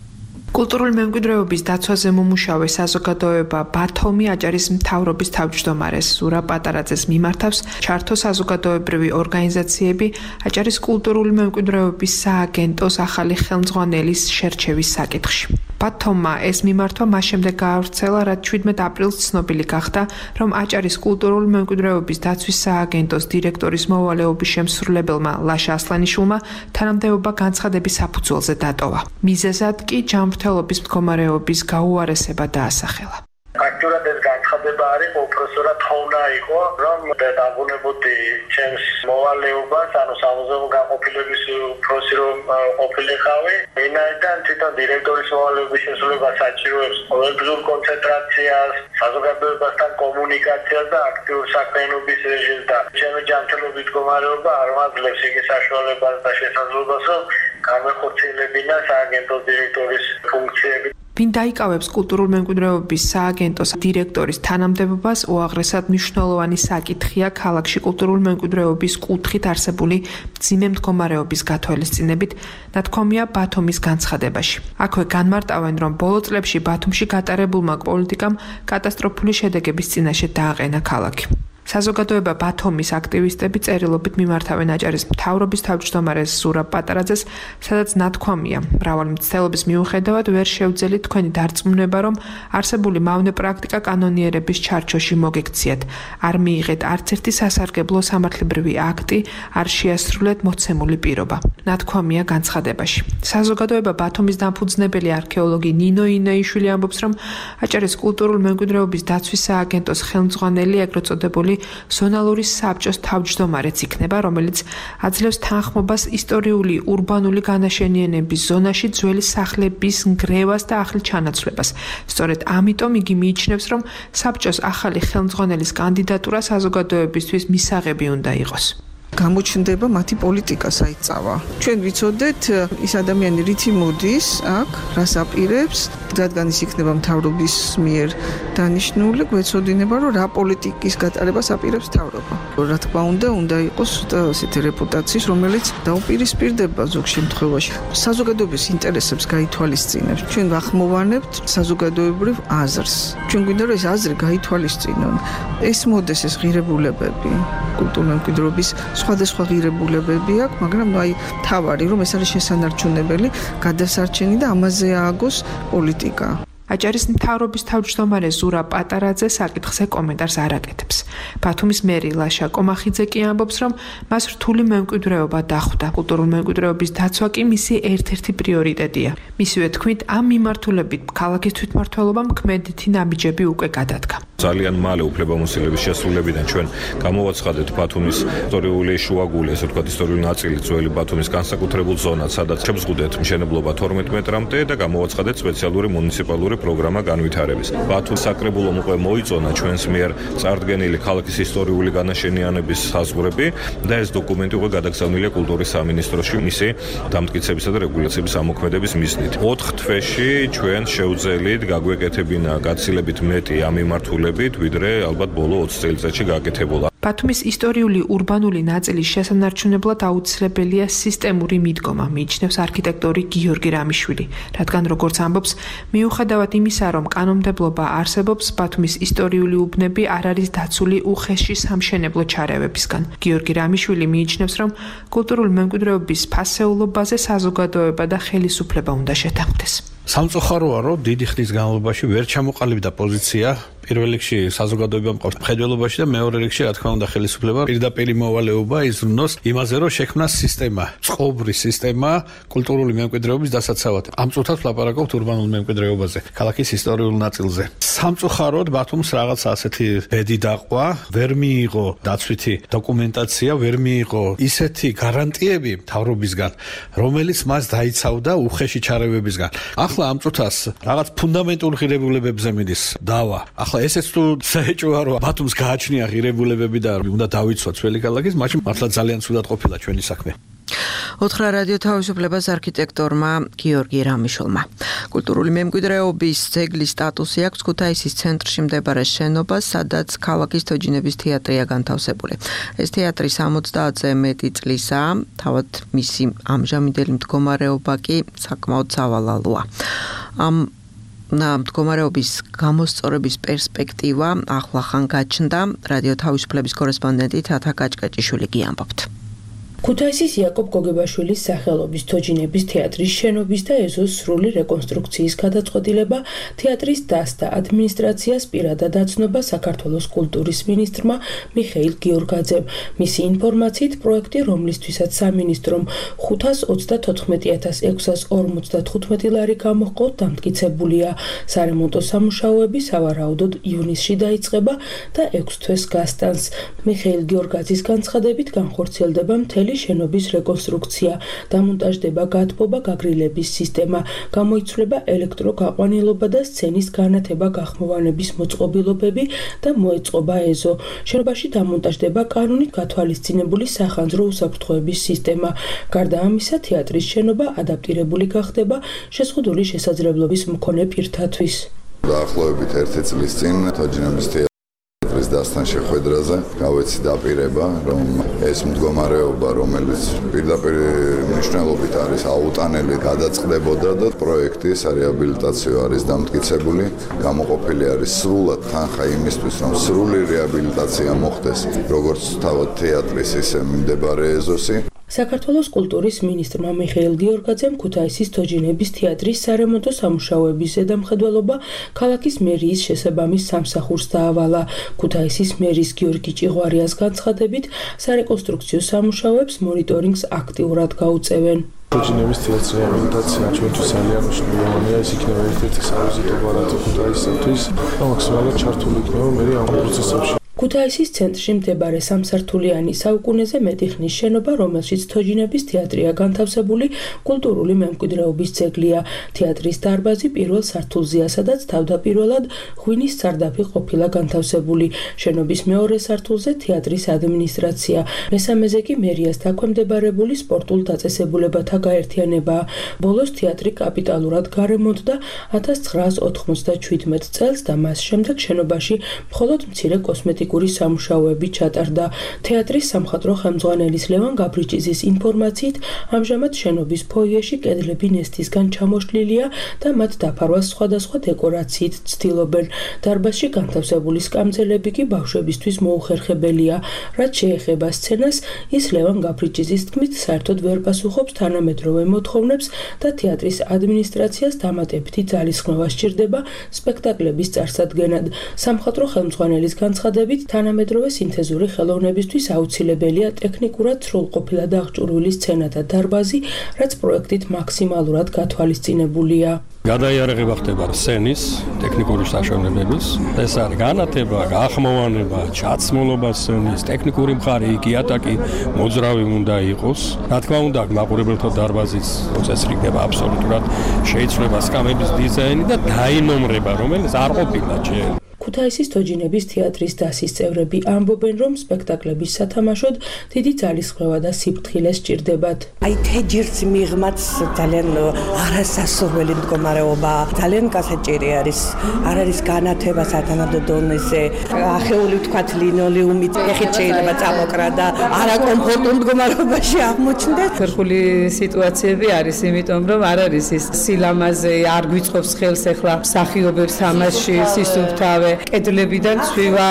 კულტურული მემკვიდრეობის დაცვაზე მომუშავე საზოგადოება ბათუმი აჭარის მთავრობის თავმჯდომარეს ზურაბ პატარაძეს მიმართავს ჩართო საზოგადოებრივი ორგანიზაციები აჭარის კულტურული მემკვიდრეობის სააგენტოს ახალი ხელმძღვანელის შერჩევის საკითხში. ბათუმმა ეს მიმართვა მას შემდეგ გაავრცელა, რაც 17 აპრილს ცნობილი გახდა, რომ აჭარის კულტურული მემკვიდრეობის დაცვის სააგენტოს დირექტორის მოვალეობის შემსრულებელმა ლაშა ასლანიშვილმა თანამდებობა განცხადების საფუძველზე დატოვა. მიზეზად კი ჯანმრთელობის მდგომარეობის გაუარესება დაასახელა. Აქტიურად ეს განცხადება არის უпроსორა თხოვნა იყო, რომ დაგუნებოდი ჩემს მოვალეობას, ანუ სამუზეუმო განყოფილების უფროსი რომ ყოფილიყავი. ვინაიდან თვითონ დირექტორის მოვალეობის შესრულება საჭიროებს ყოველდღიურ კონცენტრაციას, საზოგადოებასთან კომუნიკაციას და აქტიურ საქმიანობის რეჟიმს და ჩემი ჯანმრთელობის მდგომარეობა არ მაძლევს იმის საშუალებას და შესაძლებლობას, რომ გამეხორციელებინა სააგენტო დირექტორის ფუნქციები. ვინ დაიკავებს კულტურულ მემკვიდრეობის სააგენტოს დირექტორის თანამდებობას, უაღრესად მნიშვნელოვანი საკითხია ქალაქში კულტურული მემკვიდრეობის კუთხით არსებული მძიმე მდგომარეობის გათვალისწინებით, ნათქვამია ბათუმის განცხადებაში. აქვე განმარტავენ, რომ ბოლო წლებში ბათუმში გატარებულმა პოლიტიკამ კატასტროფული შედეგების წინაშე დააყენა ქალაქი. საზოგადოება ბათუმის აქტივისტები წერილობით მიმართავენ აჭარის მთავრობის თავმჯდომარეს ზურაბ პატარაძეს, სადაც ნათქვამია, მრავალი მცდელობის მიუხედავად ვერ შევძელით თქვენი დარწმუნება, რომ არსებული მავნე პრაქტიკა კანონიერების ჩარჩოში მოგექციათ. არ მიიღეთ არც ერთი სასარგებლო სამართლებრივი აქტი, არ შეასრულეთ მოცემული პირობა. ნათქვამია განცხადებაში. საზოგადოება ბათუმის დამფუძნებელი არქეოლოგი ნინო ინეიშვილი ამბობს, რომ აჭარის კულტურული მემკვიდრეობის დაცვის სააგენტოს ხელმძღვანელი ეგრეთ წოდებული ზონალური საბჭოს თავმჯდომარეც იქნება, რომელიც აძლევს თანხმობას ისტორიული ურბანული განაშენიანების ზონაში ძველი სახლების ნგრევას და ახალ ჩანაცვლებას. სწორედ ამიტომ იგი მიიჩნევს, რომ საბჭოს ახალი ხელმძღვანელის კანდიდატურა საზოგადოებისთვის მისაღები უნდა იყოს. გამოჩნდება მათი პოლიტიკა საიწავა. ჩვენ ვიცოდეთ ის ადამიანი რითი მოდის აქ, რას აპირებს, რადგან ის იქნება მთავრობის მიერ დანიშნული, გვეცოდინება, რომ რა პოლიტიკის გატარებას აპირებს მთავრობა. რა თქმა უნდა იყოს ასეთი რეპუტაციის, რომელიც დაუპირისპირდება ზოგ შემთხვევაში საზოგადოების ინტერესებს გაითვალისწინებს. ჩვენ ვახმოვანებთ საზოგადოებრივ აზრს. ჩვენ გვინდა რომ ეს აზრი გაითვალისწინონ. ეს მოდეს ეს ღირებულებები, კულტურული მემკვიდრეობის სხვადასხვა ღირებულებები აქვს, მაგრამ თავარი რომ ეს არის შესანარჩუნებელი გადასარჩენი და ამაზე ააგოს პოლიტიკა. აჭარის მთავრობის თავმჯდომარე ზურაბ პატარაძე საკითხზე კომენტარს არ აკეთებს. ბათუმის მერი ლაშა კომახიძე კი ამბობს, რომ მას რთული მემკვიდრეობა დახვდა. კულტურული მემკვიდრეობის დაცვა კი მისი ერთ-ერთი პრიორიტეტია. მისივე თქმით, ამ მიმართულებით ქალაქის თვითმმართველობამ ქმედითი ნაბიჯები უკვე გადადგა. ძალიან მალე უფლებამოსილების შესრულებიდან ჩვენ გამოვაცხადეთ ბათუმის ისტორიული შუაგული, ესე ვთქვათ, ისტორიული ნაწილი ძველი ბათუმის განსაკუთრებულ ზონად, სადაც შევზღუდეთ მშენებლობა 12 მეტრამდე და გამოვაცხადეთ სპეციალური მუნიციპალური პროგრამა განვითარების. ბათუმის საკრებულომ უკვე მოიწონა ჩვენს მიერ წარდგენილი ქალაქის ისტორიული განაშენიანების საზღვრები და ეს დოკუმენტი უკვე გადაგზავნილია კულტურის სამინისტროში მისი დამტკიცებისა და რეგულაციების ამოქმედების მიზნით. 4 თვეში ჩვენ შევძელით გაგვეკეთებინა გაცილებით მეტი ამ მიმართულებით, ვიდრე ალბათ ბოლო 20 წელიწადში გაკეთებულა. ბათუმის ისტორიული ურბანული ნაწილის შესანარჩუნებლად აუცილებელია სისტემური მიდგომა, მიიჩნევს არქიტექტორი გიორგი რამიშვილი, რადგან როგორც ამბობს, მიუხედავად იმისა, რომ კანონმდებლობა არსებობს, ბათუმის ისტორიული უბნები არ არის დაცული უხეში სამშენებლო ჩარევებისგან. გიორგი რამიშვილი მიიჩნევს, რომ კულტურული მემკვიდრეობის ფასეულობაზე საზოგადოება და ხელისუფლება უნდა შეთანხმდეს. სამწუხაროა, რომ დიდი ხნის განმავლობაში ვერ ჩამოყალიბდა პოზიცია პირველ რიგში საზოგადოებამ მყავს მხედველობაში და მეორე რიგში რა თქმა უნდა ხელისუფლება პირდაპირ მოვალეობა იზრუნოს იმაზე, რომ შექმნა სისტემა, წყობრი სისტემა კულტურული მემკვიდრეობის დასაცავად. ამ წუთას ვლაპარაკობთ ურბანულ მემკვიდრეობაზე, ქალაქის ისტორიულ ნაწილზე. სამწუხაროდ ბათუმს რაღაცა ასეთი ბედი დაყვა, ვერ მიიღო დაცვითი დოკუმენტაცია, ვერ მიიღო ისეთი გარანტიები მთავრობისგან, რომელიც მას დაიცავდა უხეში ჩარევებისგან. ახლა ამ წუთას რაღაც ფუნდამენტურ ღირებულებებზე მიდის დავა. ახლა ესეც თუ საეჭვოა რომ ბათუმს გააჩნია ღირებულებები და უნდა დავიცვა ძველი ქალაქის, მაშინ მართლა ძალიან ცუდად ყოფილა ჩვენი საქმე. ოთხრა რადიო თავისუფლებას არქიტექტორმა გიორგი რამიშვილმა. კულტურული მემკვიდრეობის ძეგლის სტატუსი აქვს ქუთაისის ცენტრში მდებარე შენობას, სადაც ქალაქის თოჯინების თეატრია განთავსებული. ეს თეატრი 70-ზე მეტი წლისაა, თავად მისი ამჟამინდელი მდგომარეობა კი საკმაოდ სავალალოა. ამ მდგომარეობის გამოსწორების პერსპექტივა ახლახან გაჩნდა. რადიო თავისუფლების კორესპონდენტი თათა კაჭკაჭიშვილი კი ამბობთ. ქუთაისის იაკობ გოგებაშვილის სახელობის თოჯინების თეატრის შენობის და ეზოს სრული რეკონსტრუქციის გადაწყვეტილება თეატრის დასთა ადმინისტრაციას პირადად აცნობა საქართველოს კულტურის მინისტრმა მიხეილ გიორგაძემ. მისი ინფორმაციით, პროექტი, რომლისთვისაც სამინისტრომ 534,655 ლარი გამოჰყო, დამტკიცებულია. სარემონტო სამუშაოები სავარაუდოდ ივნისში დაიწყება და 6 თვეს გასტანს. მიხეილ გიორგაძის განცხადებით განხორციელდება მთელი შენობის რეკონსტრუქცია, დამონტაჟდება გათბობა, გაგრილების სისტემა, გამოიცვლება ელექტროგაყვანილობა და სცენის განათება გახმოვანების მოწყობილობები და მოეწყობა ეზო. შენობაში დამონტაჟდება კანონით გათვალისწინებული სახანძრო უსაფრთხოების სისტემა. გარდა ამისა, თეატრის შენობა ადაპტირებული გახდება შეზღუდული შესაძლებლობის მქონე პირთათვის. დაახლოებით 1 წლის წინ თოჯინების დასთან შეხვედრაზე გავეცი დაპირება, რომ ეს მდგომარეობა, რომელიც პირდაპირ მნიშვნელობით არის აუტანელი, გადაწყდებოდა და პროექტი სარეაბილიტაციო არის დამტკიცებული, გამოყოფილი არის სრულად თანხა იმისთვის, რომ სრული რეაბილიტაცია მოხდეს, როგორც თავად თეატრის, ისე მდებარე ეზოსი. საქართველოს კულტურის მინისტრმა მიხეილ გიორგაძემ ქუთაისის თოჯინების თეატრის სარემონტო სამუშაოების ზედამხედველობა ქალაქის მერიის შესაბამის სამსახურს დაავალა. ქუთაისის მერის გიორგი ჭიღვარიას განცხადებით, სარეკონსტრუქციო სამუშაოებს მონიტორინგს აქტიურად გაუწევენ. თოჯინების თეატრის რეაბილიტაცია ჩვენთვის ძალიან მნიშვნელოვანია, ეს იქნება ერთ-ერთი სავიზიტო ბარათი ქუთაისისთვის და მაქსიმალურად ჩართული იქნება მე ამ პროცესებში. ქუთაისის ცენტრში მდებარე სამსართულიანი საუკუნეზე მეტი ხნის შენობა, რომელშიც თოჯინების თეატრია განთავსებული, კულტურული მემკვიდრეობის ძეგლია. თეატრის დარბაზი პირველ სართულზეა, სადაც თავდაპირველად ღვინის სარდაფი ყოფილა განთავსებული. შენობის მეორე სართულზე თეატრის ადმინისტრაცია, მესამეზე კი მერიას დაქვემდებარებული სპორტულ დაწესებულებათა გაერთიანებაა. ბოლოს თეატრი კაპიტალურად გარემონტდა 1997 წელს და მას შემდეგ შენობაში მხოლოდ მცირე კოსმეტიკური სამუშაოები ჩატარდა. თეატრის სამხატვრო ხელმძღვანელის ლევან გაბრიჭიძის ინფორმაციით, ამჟამად შენობის ფოიეში კედლები ნესტისგან ჩამოშლილია და მათ დაფარვას სხვადასხვა დეკორაციით ცდილობენ. დარბაზში განთავსებული სკამძელები კი ბავშვებისთვის მოუხერხებელია. რაც შეეხება სცენას, ის ლევან გაბრიჭიძის თქმით, საერთოდ ვერ პასუხობს თანამედროვე მოთხოვნებს და თეატრის ადმინისტრაციას დამატებითი ძალისხმევა სჭირდება სპექტაკლების წარსადგენად. სამხატვრო ხელმძღვანელის განცხადებით, თანამედროვე სინთეზური ხელოვნებისთვის აუცილებელია ტექნიკურად სრულყოფილა დაღჭურვილი სცენათა დარბაზი, რაც პროექტით მაქსიმალურად გათვალისწინებულია. გადაიარაღება ხდება სცენის, ტექნიკური საშუალებების, ეს არის განათება, გახმოვანება, ჩაცმულობა სცენის, ტექნიკური მხარე, იატაკი, მოძრავი უნდა იყოს. რა თქმა უნდა, მაყურებელთა დარბაზის წესრიგება აბსოლუტურად შეიცვლება სკამების დიზაინი და დაინომრება, რომელიც არ ყოფილა ჯერ. ქუთაისის თოჯინების თეატრის დასის წევრები ამბობენ, რომ სპექტაკლების სათამაშოდ დიდი ძალისხმევა და სიფრთხილე სჭირდებათ. აი თეჯირს მიღმაც ძალიან არასასურველი მდგომარეობა, ძალიან გასაჭირი არის. არ არის განათება სათანადო დონეზე, ახეული ვთქვათ ლინოლეუმით ეხით შეიძლება წამოკრა და არაკომფორტულ მდგომარეობაში აღმოჩნდეს. ხერხული სიტუაციები არის, იმიტომ რომ არ არის ის სილამაზე, არ გვიწყობს ხელს ახლა მსახიობებს თამაში, სისუფთავე კედლებიდან ცვივა,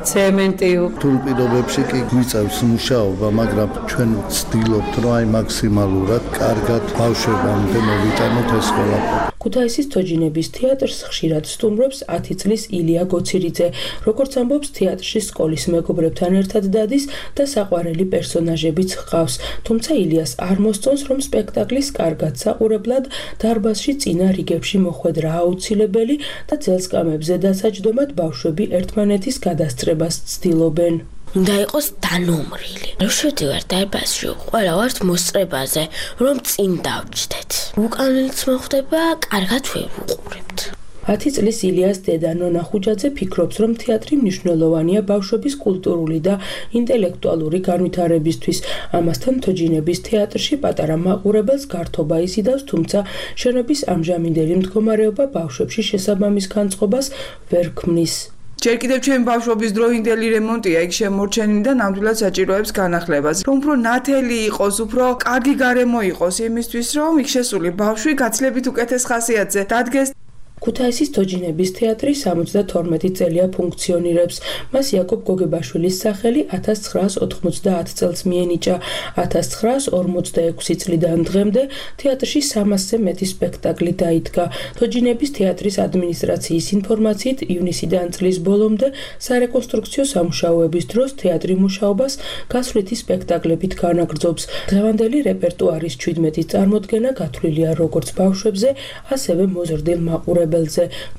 ცემენტი. რთულ პირობებში კი გვიწევს მუშაობა, მაგრამ ჩვენ ვცდილობთ, რომ აი მაქსიმალურად კარგად ბავშვებამდე მოვიტანოთ ეს ყველაფერი. ქუთაისის თოჯინების თეატრს ხშირად სტუმრობს 10 წლის ილია გოცირიძე. როგორც ამბობს, თეატრში სკოლის მეგობრებთან ერთად დადის და საყვარელი პერსონაჟებიც ჰყავს. თუმცა ილიას არ მოსწონს, რომ სპექტაკლის კარგად საყურებლად დარბაზში წინა რიგებში მოხვედრა აუცილებელი და ძელსკამებზე დასაჯდომად ბავშვები ერთმანეთის გადასწრებას ცდილობენ. უნდა იყოს დანომრილი. რომ შევდივარ დარბაზში, ყველა ვართ მოსწრებაზე, რომ წინ დავჯდეთ. უკანელიც მოხდება, კარგად ვუყურებთ. 10 წლის ილიას დედა ნონა ხუჯაძე ფიქრობს, რომ თეატრი მნიშვნელოვანია ბავშვების კულტურული და ინტელექტუალური განვითარებისთვის. ამასთან თოჯინების თეატრში პატარა მაყურებელს გართობა იზიდავს, თუმცა შენობის ამჟამინდელი მდგომარეობა ბავშვებში შესაბამის განწყობას ვერ ქმნის. ჯერ კიდევ ჩემი ბავშვობის დროინდელი რემონტია, იქ შემორჩენილი და ნამდვილად საჭიროებს განახლებას. რომ უფრო ნათელი იყოს, უფრო კარგი გარემო იყოს იმისთვის, რომ იქ შესული ბავშვი გაცილებით უკეთეს ხასიათზე დადგეს. ქუთაისის თოჯინების თეატრი 72 წელია ფუნქციონირებს. მას იაკობ გოგებაშვილის სახელი 1990 წელს მიენიჭა. 1946 წლიდან დღემდე თეატრში 300-ზე მეტი სპექტაკლი დაიდგა. თოჯინების თეატრის ადმინისტრაციის ინფორმაციით, ივნისიდან წლის ბოლომდე სარეკონსტრუქციო სამუშაოების დროს თეატრი მუშაობას გასვლითი სპექტაკლებით განაგრძობს. დღევანდელი რეპერტუარის 17 წარმოდგენა გათვლილია როგორც ბავშვებზე, ასევე მოზრდილ მაყურებელებზე.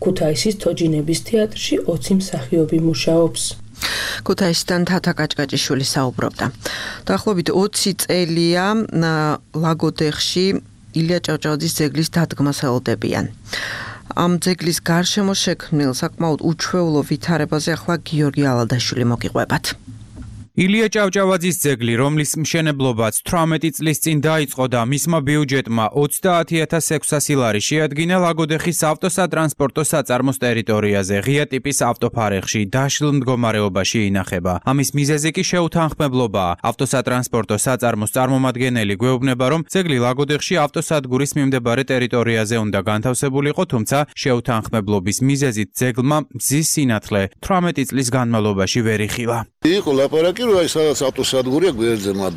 ქუთაისის თოჯინების თეატრში 20 მსახიობი მუშაობს. ქუთაისიდან თათა კაჭკაჭიშვილი საუბრობდა. დაახლოებით 20 წელია ლაგოდეხში ილია ჭავჭავაძის ძეგლის დადგმას ელოდებიან. ამ ძეგლის გარშემო შექმნილ საკმაოდ უჩვეულო ვითარებაზე ახლა გიორგი ალადაშვილი მოგიყვებათ. ილია ჭავჭავაძის ძეგლი, რომლის მშენებლობაც 18 წლის წინ დაიწყო და მისმა ბიუჯეტმა 30600 ლარი შეადგინა ლაგოდეხის ავტოსატრანსპორტო საწარმოს ტერიტორიაზე, ღია ტიპის ავტოფარეხში, დაშლილ მდგომარეობაში ინახება. ამის მიზეზი კი შეუთანხმებლობაა. ავტოსატრანსპორტო საწარმოს წარმომადგენელი გვეუბნება, რომ ძეგლი ლაგოდეხში ავტოსადგურის მიმდებარე ტერიტორიაზე უნდა განთავსებულიყო, თუმცა შეუთანხმებლობის მიზეზით ძეგლმა მზის სინათლე 18 წლის განმავლობაში ვერ იხილა. იყო ლაპარაკი რომ აი სადაც ავტოსადგურია გვერდზე მათ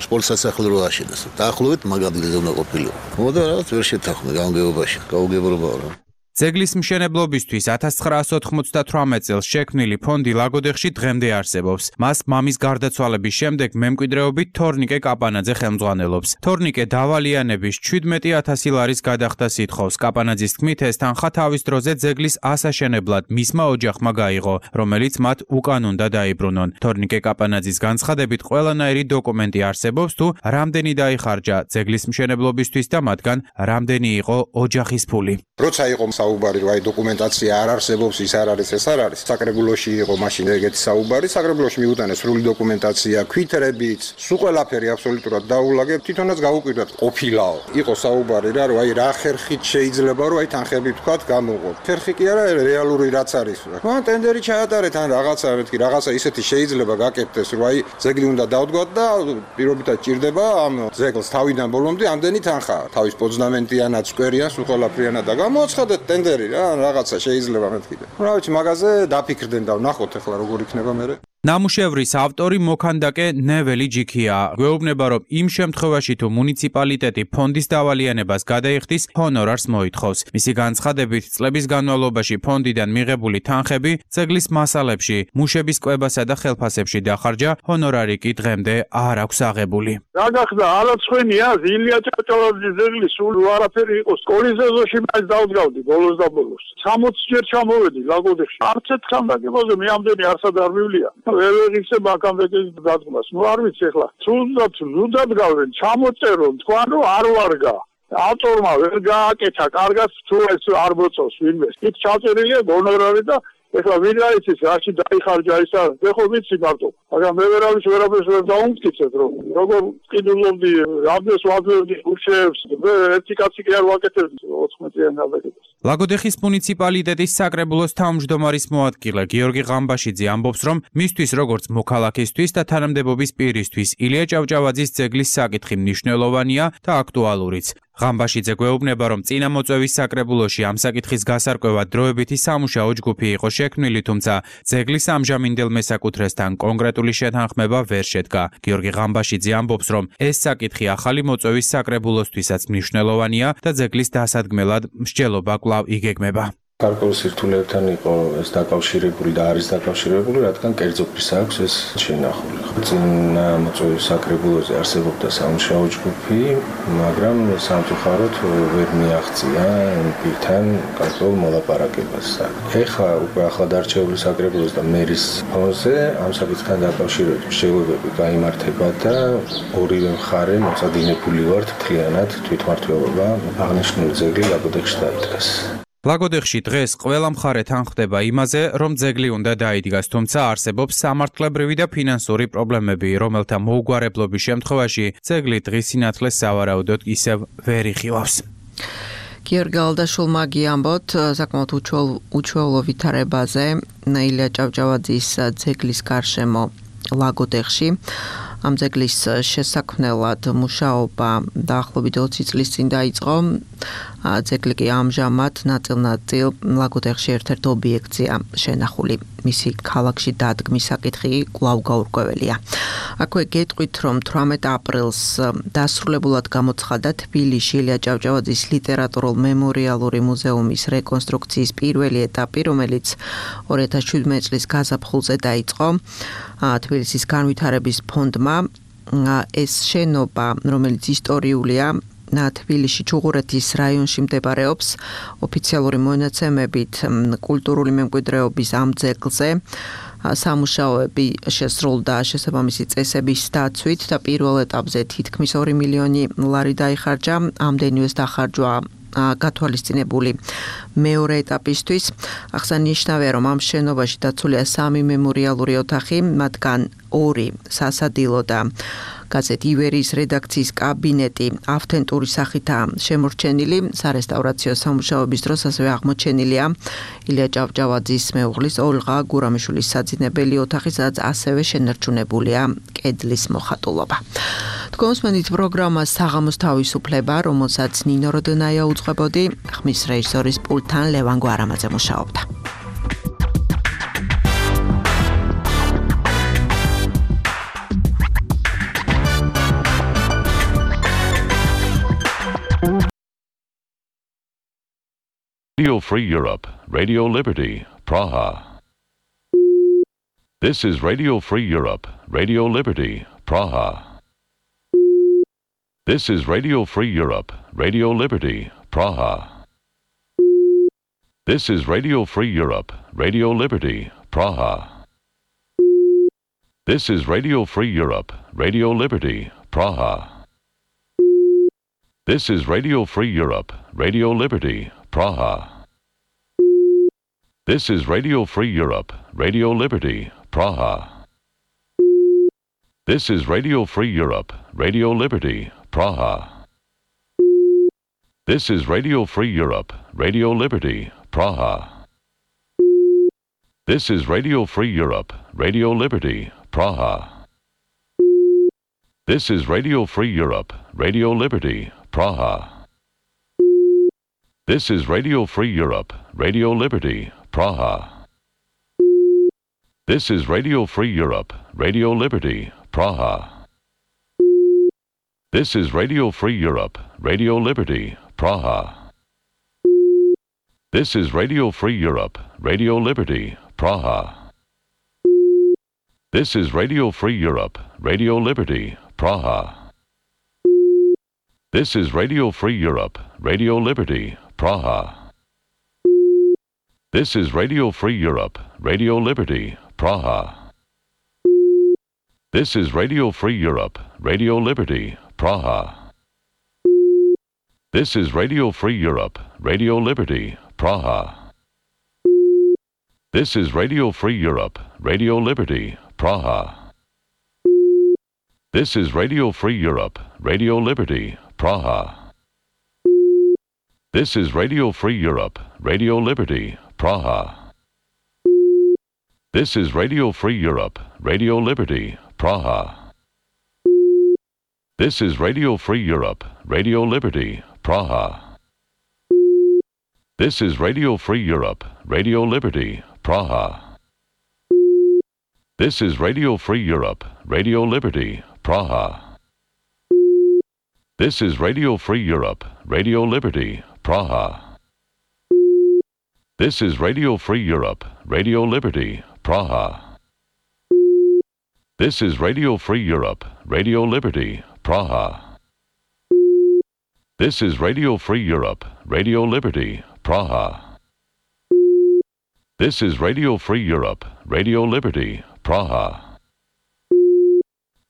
სპორტ სასახლე რო აშენეს. დაახლოებით მაგ ადგილზე უნდა ყოფილიყო. მოდა რაღაც ვერ შეთანხმდა გამგეობაში. გაუგებრობაა რა. ძეგლის მშენებლობისთვის 1998 წელს შექმნილი ფონდი ლაგოდეხში დღემდე არსებობს. მას მამის გარდაცვალების შემდეგ მემკვიდრეობით თორნიკე კაპანაძე ხელმძღვანელობს. თორნიკე დავალიანების 17000 ლარის გადახდას ითხოვს. კაპანაძის თქმით, ეს თანხა თავის დროზე ძეგლის ასაშენებლად მისმა ოჯახმა გაიღო, რომელიც მათ უკან უნდა დაიბრუნონ. თორნიკე კაპანაძის განცხადებით, ყველანაირი დოკუმენტი არსებობს თუ რამდენი დაიხარჯა ძეგლის მშენებლობისთვის და მათგან რამდენი იყო ოჯახის ფული. როცა იყო საუბარი რომ აი დოკუმენტაცია არ არსებობს, ის არ არის, ეს არ არის. საკრებულოში იყო მაშინ ეგეთი საუბარი, საკრებულოში მიუტანეს სრული დოკუმენტაცია, ქვითრებით, სულ ყველაფერი აბსოლუტურად დაულაგებ, თვითონაც გავუკვირდათ ყოფილაო. იყო საუბარი რა, რომ აი რა ხერხით შეიძლება რომ აი თანხები თქვათ გამოღო. ხერხი კი არა, რეალური რაც არის რა. მან ტენდერი ჩაატარეთ ან რაღაცა მეთქი, რაღაცა ისეთი შეიძლება გაკეთდეს, რომ აი ძეგლი უნდა დავდგათ და პირობითად ჭირდება ამ ძეგლს თავიდან ბოლომდე ამდენი თანხა. თავის პოზნამენტიანად, სკვერიან, სულ ყველაფრიანად და გამოაცხადეთ ტენდერი რა, რაღაცა შეიძლება მეთქი. რა ვიცი, მაგაზე დაფიქრდნენ და ვნახოთ ახლა როგორ იქნება მერე. ნამუშევრის ავტორი მოქანდაკე ნეველი ჯიქია. გვეუბნება, რომ იმ შემთხვევაში თუ მუნიციპალიტეტი ფონდის დავალიანებას გადაიხდის, ჰონორარს მოითხოვს. მისი განცხადებით, წლების განმავლობაში ფონდიდან მიღებული თანხები ძეგლის მასალებში, მუშების კვებასა და ხელფასებში დახარჯა, ჰონორარი კი დღემდე არ აქვს აღებული. რა გახდა, არაცხვენია, ილია ჭავჭავაძის ძეგლის სულ არაფერი იყო. სკოლის ეზოში მას დავდგავდი ბოლოს და ბოლოს. 60 ჯერ ჩამოვედი ლაგოდეხში. არც ერთხელ დაგებოზე მე ამდენი არსად არ მივლია. ვერ ვიღიცე ბაკამბეკის დადგმას. ნუ არ ვიცი ახლა. თუნდაც გავენ, ჩამოწერო, თქვან რომ არ ვარგა. ავტორმა ვერ გააკეთა, კარგად თუ ეს არ მოწოს ვინმე. იქ ჩაწერილია გონორარი და ეხლა ვინ არის ის რაში დაიხარჯა ისა, ეხლა ვიცი მარტო. მაგრამ მე ვერაფერს ვერ დაუმტკიცებ რომ როგორ ყიდულობდი, რამდენს ვაძლევდი უშევს, ერთი კაცი კი არ ვაკეთებდი 14-იან გადაკეთებას. ლაგოდეხის მუნიციპალიტეტის საკრებულოს თავმჯდომარის მოადგილე გიორგი ღამბაშიძე ამბობს, რომ მისთვის როგორც მოქალაქისთვის და თანამდებობის პირისთვის ილია ჭავჭავაძის ძეგლის საკითხი მნიშვნელოვანია და აქტუალურიც. ღამბაშიძე გვეუბნება, რომ წინა მოწვევის საკრებულოში ამ საკითხის გასარკვევად დროებითი სამუშაო ჯგუფი იყო შექმნილი, თუმცა ძეგლის ამჟამინდელ მესაკუთრესთან კონკრეტული შეთანხმება ვერ შედგა. გიორგი ღამბაშიძე ამბობს, რომ ეს საკითხი ახალი მოწვევის საკრებულოსთვისაც მნიშვნელოვანია და ძეგლის დასადგმელად მსჯელობა კვლავ იგეგმება. გარკვეულ სირთულეებთან იყო ეს დაკავშირებული და არის დაკავშირებული, რადგან კერძო პირს აქვს ეს შენახული. წინა მოწვევის საკრებულოზე არსებობდა სამუშაო ჯგუფი, მაგრამ სამწუხაროდ ვერ მიაღწია პირთან გარკვეულ მოლაპარაკებას. ეხლა უკვე ახლად არჩეული საკრებულოს და მერის ფონზე ამ საკითხთან დაკავშირებით მსჯელობები გაიმართება და ორივე მხარე მოწადინებული ვართ მთლიანად თვითმმართველობა აღნიშნული ძეგლი ლაგოდეხში დაიდგას. ლაგოდეხში დღეს ყველა მხარე თანხმდება იმაზე, რომ ძეგლი უნდა დაიდგას, თუმცა არსებობს სამართლებრივი და ფინანსური პრობლემები, რომელთა მოუგვარებლობის შემთხვევაში ძეგლი დღის სინათლეს სავარაუდოდ ისევ ვერ იხილავს. გიორგი ალდაშულმა გიამბოთ საკმაოდ უჩვეულო ვითარებაზე ილია ჭავჭავაძის ძეგლის გარშემო ლაგოდეხში. ამ ძეგლის შესაქმნელად მუშაობა დაახლოებით 20 წლის წინ დაიწყო. ძეგლი კი ამჟამად ნაწილ-ნაწილ ლაგოდეხში ერთ-ერთ ობიექტია შენახული. მისი ქალაქში დადგმის საკითხი კვლავ გაურკვეველია. აქვე გეტყვით, რომ 18 აპრილს დასრულებულად გამოცხადდა თბილისში ილია ჭავჭავაძის ლიტერატურულ-მემორიალური მუზეუმის რეკონსტრუქციის პირველი ეტაპი, რომელიც 2017 წლის გაზაფხულზე დაიწყო. თბილისის განვითარების ფონდმა ეს შენობა, რომელიც ისტორიულია, თბილისში ჩუღურეთის რაიონში მდებარეობს, ოფიციალური მონაცემებით კულტურული მემკვიდრეობის ამ ძეგლზე სამუშაოები შესრულდა შესაბამისი წესების დაცვით და პირველ ეტაპზე თითქმის 2 მილიონი ლარი დაიხარჯა. ამდენივეს დახარჯვა გათვალისწინებული მეორე ეტაპისთვის. აღსანიშნავია, რომ ამ შენობაში დაცულია 3 მემორიალური ოთახი, მათგან 2 სასადილო და გაზეთ ივერის რედაქციის კაბინეტი ავთენტური სახითაა შემორჩენილი. სარესტავრაციო სამუშაოების დროს ასევე აღმოჩენილია ილია ჭავჭავაძის მეუღლის ოლღა გურამიშვილის საძინებელი ოთახი, სადაც ასევე შენარჩუნებულია კედლის მოხატულობა. თქვენსმენით პროგრამა საღამოს თავისუფლება, რომელსაც ნინო როდენაია უძღვებოდი, ხმის რეჟისორის პულტთან ლევან გვარამაძე მუშაობდა. Radio Free Europe, Radio Liberty, Praha. This is Radio Free Europe, Radio Liberty, Praha. This is Radio Free Europe, Radio Liberty, Praha. This is Radio Free Europe, Radio Liberty, Praha. This is Radio Free Europe, Radio Liberty, Praha. This is Radio Free Europe, Radio Liberty, Praha. This is Radio Free Europe, Radio Liberty, Praha. This is Radio Free Europe, Radio Liberty, Praha. This is Radio Free Europe, Radio Liberty, Praha. This is Radio Free Europe, Radio Liberty, Praha. This is Radio Free Europe, Radio Liberty, Praha. This is Radio Free Europe, Radio Liberty, Praha. This is Radio Free Europe, Radio Liberty, Praha. This is Radio Free Europe, Radio Liberty, Praha. This is Radio Free Europe, Radio Liberty, Praha. This is Radio Free Europe, Radio Liberty, Praha. This is Radio Free Europe, Radio Liberty, Praha. This is Radio Free Europe, Radio Liberty, Praha. This is Radio Free Europe, Radio Liberty, Praha. This is Radio Free Europe, Radio Liberty, Praha. This is Radio Free Europe, Radio Liberty, Praha. This is Radio Free Europe, Radio Liberty, Praha. This is Radio Free Europe, Radio Liberty, Praha. This is Radio Free Europe, Radio Liberty, Praha. This is Radio Free Europe, Radio Liberty, Praha. This is Radio Free Europe, Radio Liberty, Praha. This is Radio Free Europe, Radio Liberty, Praha. This is Radio Free Europe, Radio Liberty, Praha. This is Radio Free Europe, Radio Liberty, Praha. This is Radio Free Europe, Radio Liberty, Praha. This is Radio Free Europe, Radio Liberty, Praha.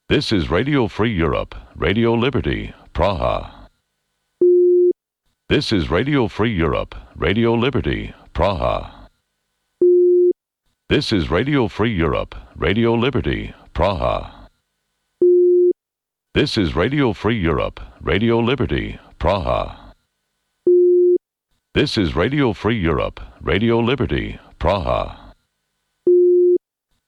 This is Radio Free Europe, Radio Liberty, Praha. This is Radio Free Europe, Radio Liberty, Praha. This is Radio Free Europe, Radio Liberty, Praha. This is Radio Free Europe, Radio Liberty, Praha. This is Radio Free Europe, Radio Liberty, Praha. This is Radio Free Europe, Radio Liberty, Praha.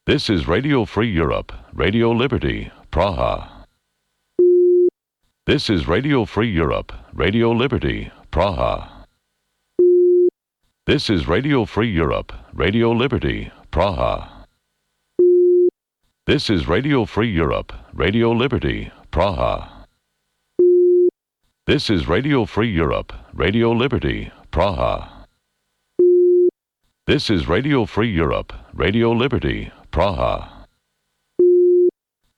This is Radio Free Europe, Radio Liberty, Praha. This is Radio Free Europe, Radio Liberty, Praha. This is Radio Free Europe, Radio Liberty, Praha. This is Radio Free Europe, Radio Liberty, Praha. This is Radio Free Europe, Radio Liberty, Praha. This is Radio Free Europe, Radio Liberty, Praha.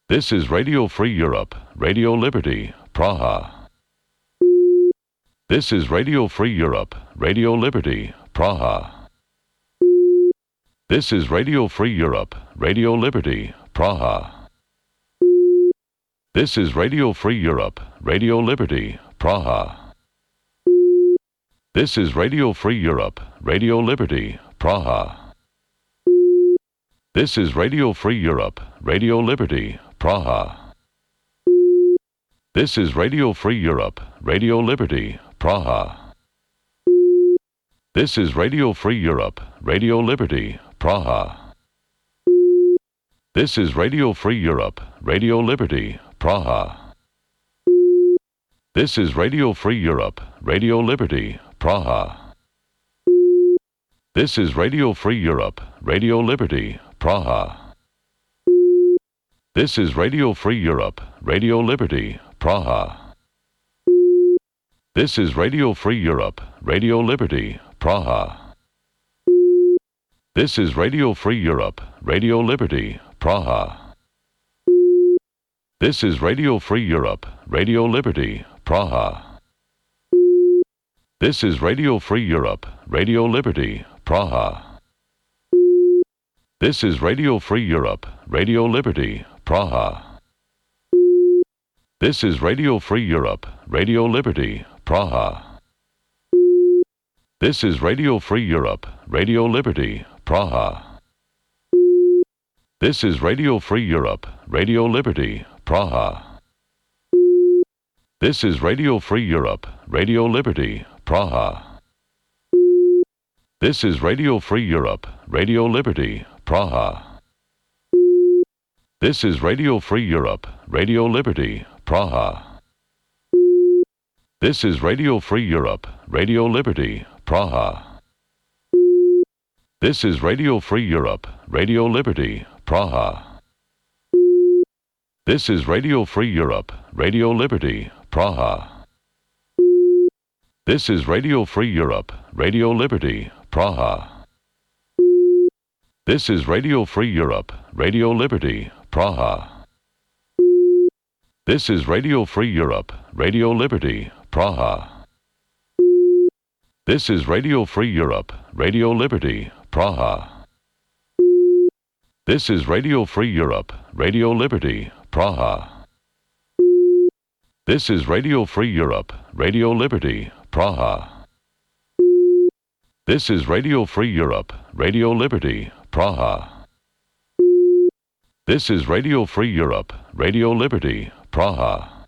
This is Radio Free Europe, Radio Liberty, Praha. This is Radio Free Europe, Radio Liberty, Praha. This is Radio Free Europe, Radio Liberty, Praha. This is Radio Free Europe, Radio Liberty, Praha. This is Radio Free Europe, Radio Liberty, Praha. This is Radio Free Europe, Radio Liberty, Praha. This is Radio Free Europe, Radio Liberty, Praha. This is Radio Free Europe, Radio Liberty, Praha. This is Radio Free Europe, Radio Liberty, Praha. This is Radio Free Europe, Radio Liberty, Praha. This is Radio Free Europe, Radio Liberty, Praha. This is Radio Free Europe, Radio Liberty, Praha. This is Radio Free Europe, Radio Liberty, Praha. This is Radio Free Europe, Radio Liberty, Praha. This is Radio Free Europe, Radio Liberty, Praha. This is Radio Free Europe, Radio Liberty, Praha. This is Radio Free Europe, Radio Liberty, Praha. This is Radio Free Europe, Radio Liberty, Praha. This is Radio Free Europe, Radio Liberty, Praha. This is Radio Free Europe, Radio Liberty, Praha. This is Radio Free Europe, Radio Liberty, Praha. This is Radio Free Europe, Radio Liberty, Praha. This is Radio Free Europe, Radio Liberty, Praha. This is Radio Free Europe, Radio Liberty, Praha. This is Radio Free Europe, Radio Liberty, Praha. This is Radio Free Europe, Radio Liberty, Praha. This is Radio Free Europe, Radio Liberty, Praha. This is Radio Free Europe, Radio Liberty, Praha. This is Radio Free Europe, Radio Liberty, Praha. This is Radio Free Europe, Radio Liberty, Praha. This is Radio Free Europe, Radio Liberty, Praha. This is Radio Free Europe, Radio Liberty, Praha. This is Radio Free Europe, Radio Liberty, Praha.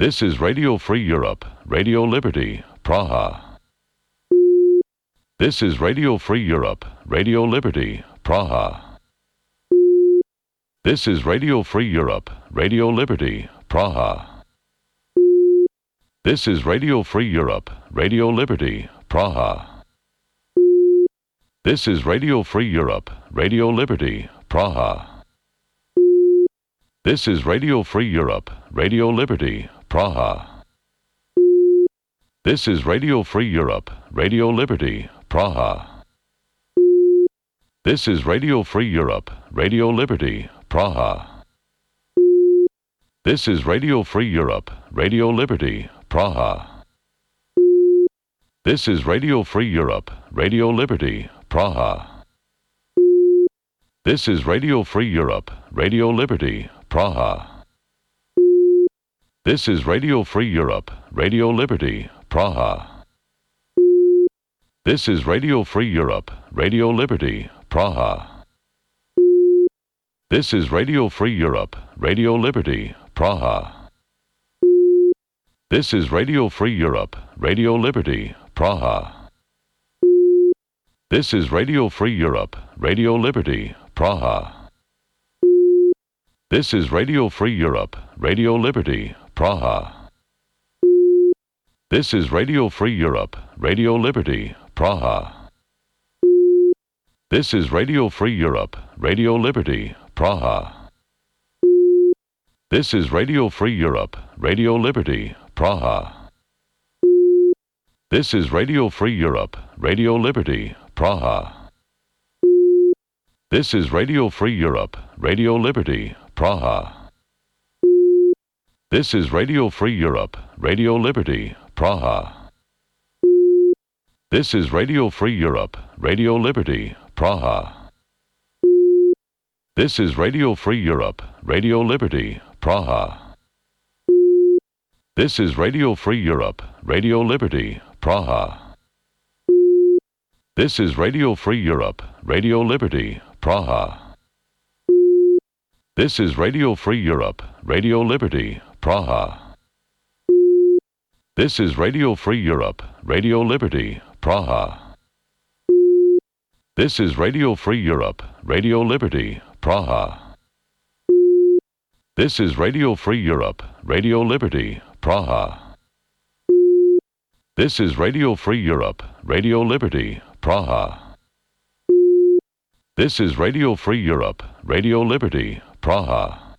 This is Radio Free Europe, Radio Liberty, Praha. This is Radio Free Europe, Radio Liberty, Praha. This is Radio Free Europe, Radio Liberty, Praha. This is Radio Free Europe, Radio Liberty, Praha. This is Radio Free Europe, Radio Liberty, Praha. This is Radio Free Europe, Radio Liberty, Praha. This is Radio Free Europe, Radio Liberty, Praha. This is Radio Free Europe, Radio Liberty, Praha. This is Radio Free Europe, Radio Liberty, Praha. This is Radio Free Europe, Radio Liberty, Praha. This is Radio Free Europe, Radio Liberty, Praha. This is Radio Free Europe, Radio Liberty, Praha. This is Radio Free Europe, Radio Liberty, Praha. This is Radio Free Europe, Radio Liberty, Praha. This is Radio Free Europe, Radio Liberty, Praha. This is Radio Free Europe, Radio Liberty, Praha. This is Radio Free Europe, Radio Liberty, Praha. This is Radio Free Europe, Radio Liberty, Praha. This is Radio Free Europe, Radio Liberty, Praha. This is Radio Free Europe, Radio Liberty, Praha. This is Radio Free Europe, Radio Liberty, Praha. This is Radio Free Europe, Radio Liberty, Praha. This is Radio Free Europe, Radio Liberty, Praha. This is Radio Free Europe, Radio Liberty, Praha. This is Radio Free Europe, Radio Liberty, Praha. This is Radio Free Europe, Radio Liberty, Praha. This is Radio Free Europe, Radio Liberty, Praha. This is Radio Free Europe, Radio Liberty, Praha. This is Radio Free Europe, Radio Liberty, Praha. This is Radio Free Europe, Radio Liberty, Praha. This is Radio Free Europe, Radio Liberty, Praha. This is Radio Free Europe, Radio Liberty, Praha. This is Radio Free Europe, Radio Liberty, Praha. This is Radio Free Europe, Radio Liberty, Praha.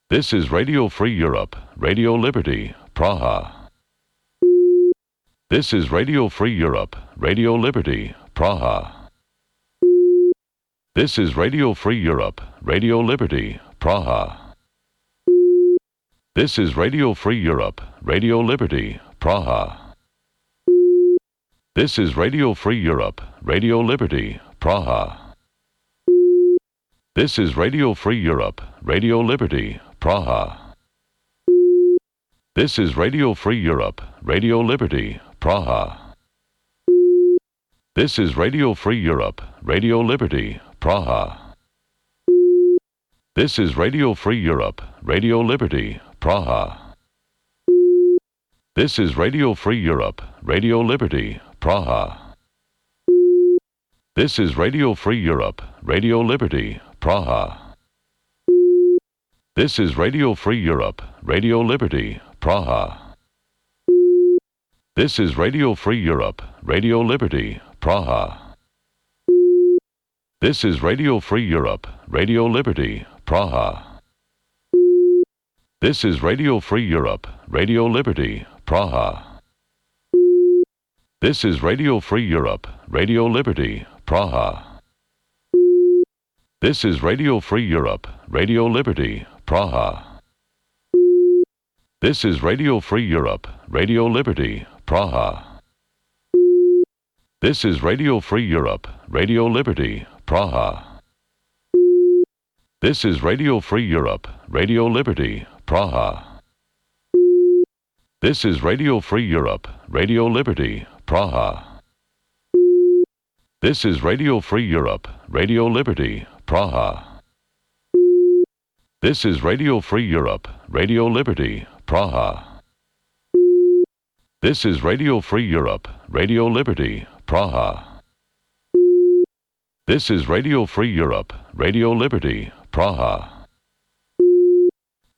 This is Radio Free Europe, Radio Liberty, Praha. This is Radio Free Europe, Radio Liberty, Praha. This is Radio Free Europe, Radio Liberty, Praha. This is Radio Free Europe, Radio Liberty, Praha. This is Radio Free Europe, Radio Liberty, Praha. This is Radio Free Europe, Radio Liberty, Praha. This is Radio Free Europe, Radio Liberty, Praha. This is Radio Free Europe, Radio Liberty, Praha. This is Radio Free Europe, Radio Liberty, Praha. This is Radio Free Europe, Radio Liberty, Praha. This is Radio Free Europe, Radio Liberty, Praha. This is Radio Free Europe, Radio Liberty, Praha. This is Radio Free Europe, Radio Liberty, Praha. This is Radio Free Europe, Radio Liberty, Praha. This is Radio Free Europe, Radio Liberty, Praha. This is Radio Free Europe, Radio Liberty, Praha. This is Radio Free Europe, Radio Liberty, Praha. This is Radio Free Europe, Radio Liberty, Praha. This is Radio Free Europe, Radio Liberty, Praha. This is Radio Free Europe, Radio Liberty, Praha. This is Radio Free Europe, Radio Liberty, Praha. This is Radio Free Europe, Radio Liberty, Praha. This is Radio Free Europe, Radio Liberty, Praha. This is Radio Free Europe, Radio Liberty, Praha. This is Radio Free Europe, Radio Liberty, Praha.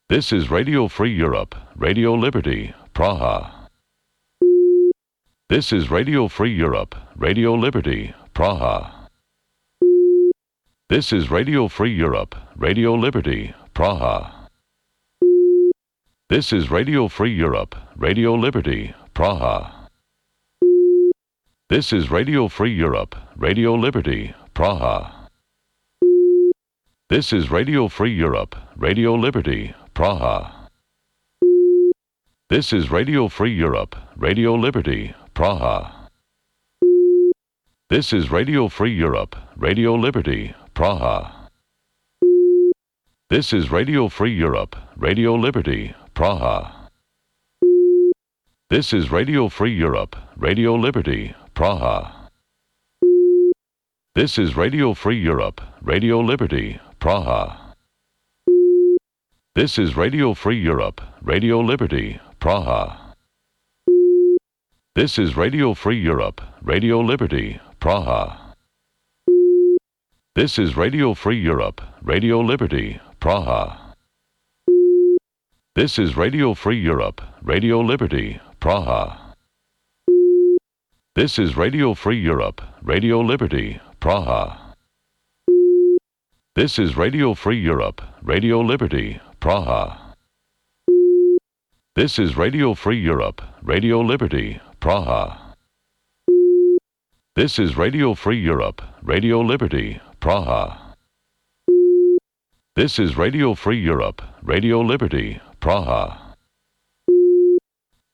This is Radio Free Europe, Radio Liberty, Praha. This is Radio Free Europe, Radio Liberty, Praha. This is Radio Free Europe, Radio Liberty, Praha. This is Radio Free Europe, Radio Liberty, Praha. This is Radio Free Europe, Radio Liberty, Praha. This is Radio Free Europe, Radio Liberty, Praha. This is Radio Free Europe, Radio Liberty, Praha. This is Radio Free Europe, Radio Liberty, Praha. This is Radio Free Europe, Radio Liberty, Praha. This is Radio Free Europe, Radio Liberty, Praha. This is Radio Free Europe, Radio Liberty, Praha. This is Radio Free Europe, Radio Liberty, Praha. This is Radio Free Europe, Radio Liberty, Praha. This is Radio Free Europe, Radio Liberty, Praha. This is Radio Free Europe, Radio Liberty, Praha. This is Radio Free Europe, Radio Liberty, Praha. This is Radio Free Europe, Radio Liberty, Praha. This is Radio Free Europe, Radio Liberty, Praha. This is Radio Free Europe, Radio Liberty, Praha. This is Radio Free Europe, Radio Liberty, Praha.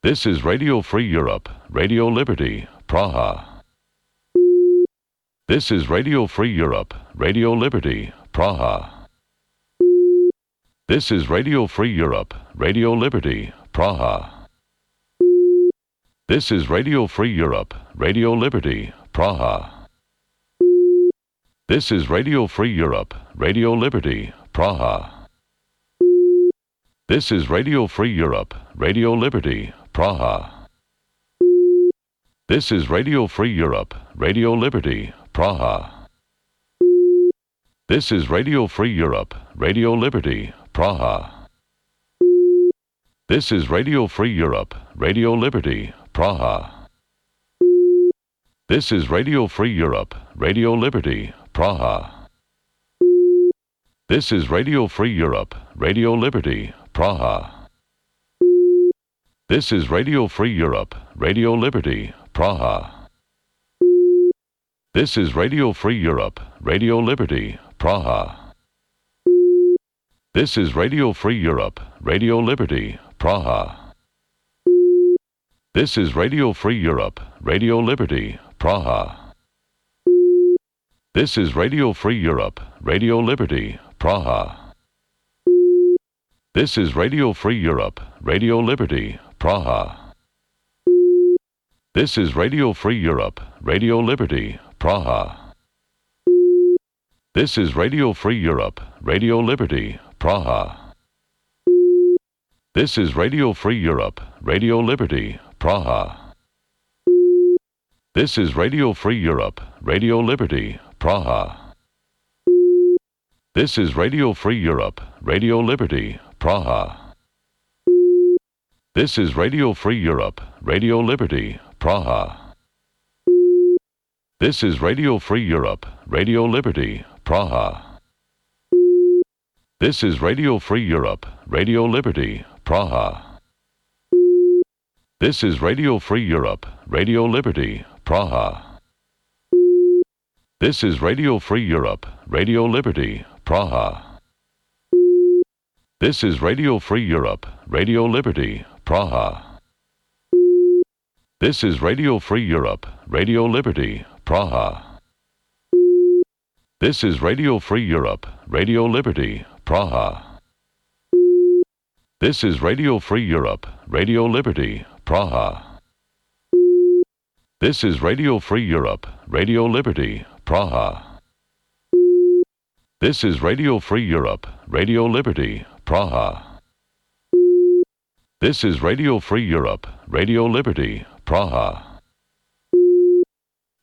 This is Radio Free Europe, Radio Liberty, Praha. This is Radio Free Europe, Radio Liberty, Praha. This is Radio Free Europe, Radio Liberty, Praha. This is Radio Free Europe, Radio Liberty, Praha. This is Radio Free Europe, Radio Liberty, Praha. This is Radio Free Europe, Radio Liberty, Praha. This is Radio Free Europe, Radio Liberty, Praha. This is Radio Free Europe, Radio Liberty, Praha. This is Radio Free Europe, Radio Liberty, Praha. This is Radio Free Europe, Radio Liberty, Praha. This is Radio Free Europe, Radio Liberty, Praha. This is Radio Free Europe, Radio Liberty, Praha. This is Radio Free Europe, Radio Liberty, Praha. This is Radio Free Europe, Radio Liberty, Praha. This is Radio Free Europe, Radio Liberty, Praha. This is Radio Free Europe, Radio Liberty, Praha. This is Radio Free Europe, Radio Liberty, Praha. This is Radio Free Europe, Radio Liberty, Praha. This is Radio Free Europe, Radio Liberty, Praha. This is Radio Free Europe, Radio Liberty, Praha. This is Radio Free Europe, Radio Liberty, Praha. This is Radio Free Europe, Radio Liberty, Praha. This is Radio Free Europe, Radio Liberty, Praha. This is Radio Free Europe, Radio Liberty, Praha. This is Radio Free Europe, Radio Liberty, Praha. This is Radio Free Europe, Radio Liberty, Praha. This is Radio Free Europe, Radio Liberty, Praha. This is Radio Free Europe, Radio Liberty, Praha. This is Radio Free Europe, Radio Liberty, Praha. This is Radio Free Europe, Radio Liberty, Praha. This is Radio Free Europe, Radio Liberty, Praha. This is Radio Free Europe, Radio Liberty, Praha. This is Radio Free Europe, Radio Liberty, Praha. This is Radio Free Europe, Radio Liberty, Praha.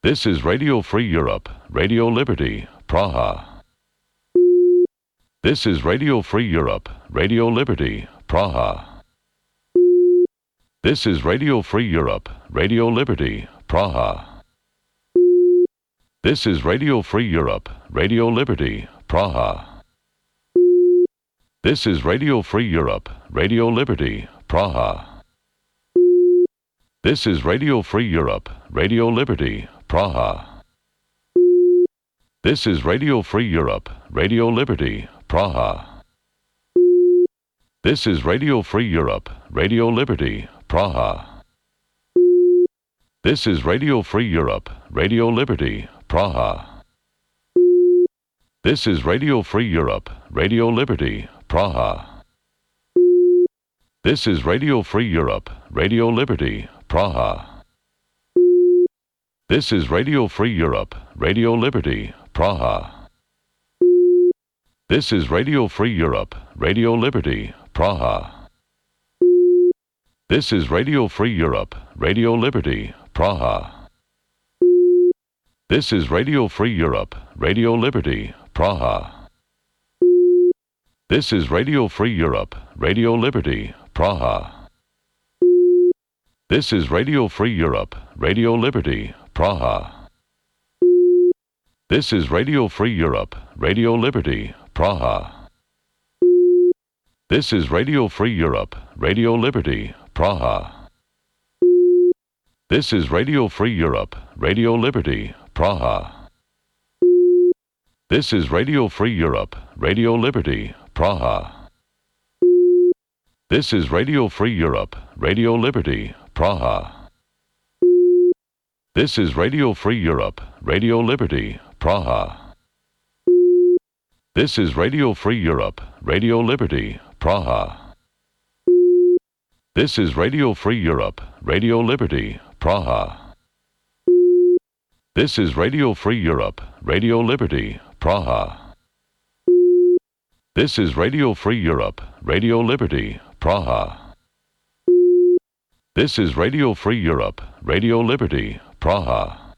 This is Radio Free Europe, Radio Liberty, Praha. This is Radio Free Europe, Radio Liberty, Praha. This is Radio Free Europe, Radio Liberty, Praha. This is Radio Free Europe, Radio Liberty, Praha. This is Radio Free Europe, Radio Liberty, Praha. This is Radio Free Europe, Radio Liberty, Praha. This is Radio Free Europe, Radio Liberty, Praha. This is Radio Free Europe, Radio Liberty, Praha. This is Radio Free Europe, Radio Liberty, Praha. This is Radio Free Europe, Radio Liberty, Praha. This is Radio Free Europe, Radio Liberty, Praha. This is Radio Free Europe, Radio Liberty, Praha. This is Radio Free Europe, Radio Liberty, Praha. This is Radio Free Europe, Radio Liberty, Praha. This is Radio Free Europe, Radio Liberty, Praha. This is Radio Free Europe, Radio Liberty, Praha. This is Radio Free Europe, Radio Liberty, Praha. This is Radio Free Europe, Radio Liberty, Praha. This is Radio Free Europe, Radio Liberty, Praha. This is Radio Free Europe, Radio Liberty, Praha. This is Radio Free Europe, Radio Liberty, Praha. This is Radio Free Europe, Radio Liberty, Praha. This is Radio Free Europe, Radio Liberty, Praha. This is Radio Free Europe, Radio Liberty, Praha. This is Radio Free Europe, Radio Liberty, Praha. This is Radio Free Europe, Radio Liberty, Praha. This is Radio Free Europe, Radio Liberty, Praha. This is Radio Free Europe, Radio Liberty, Praha.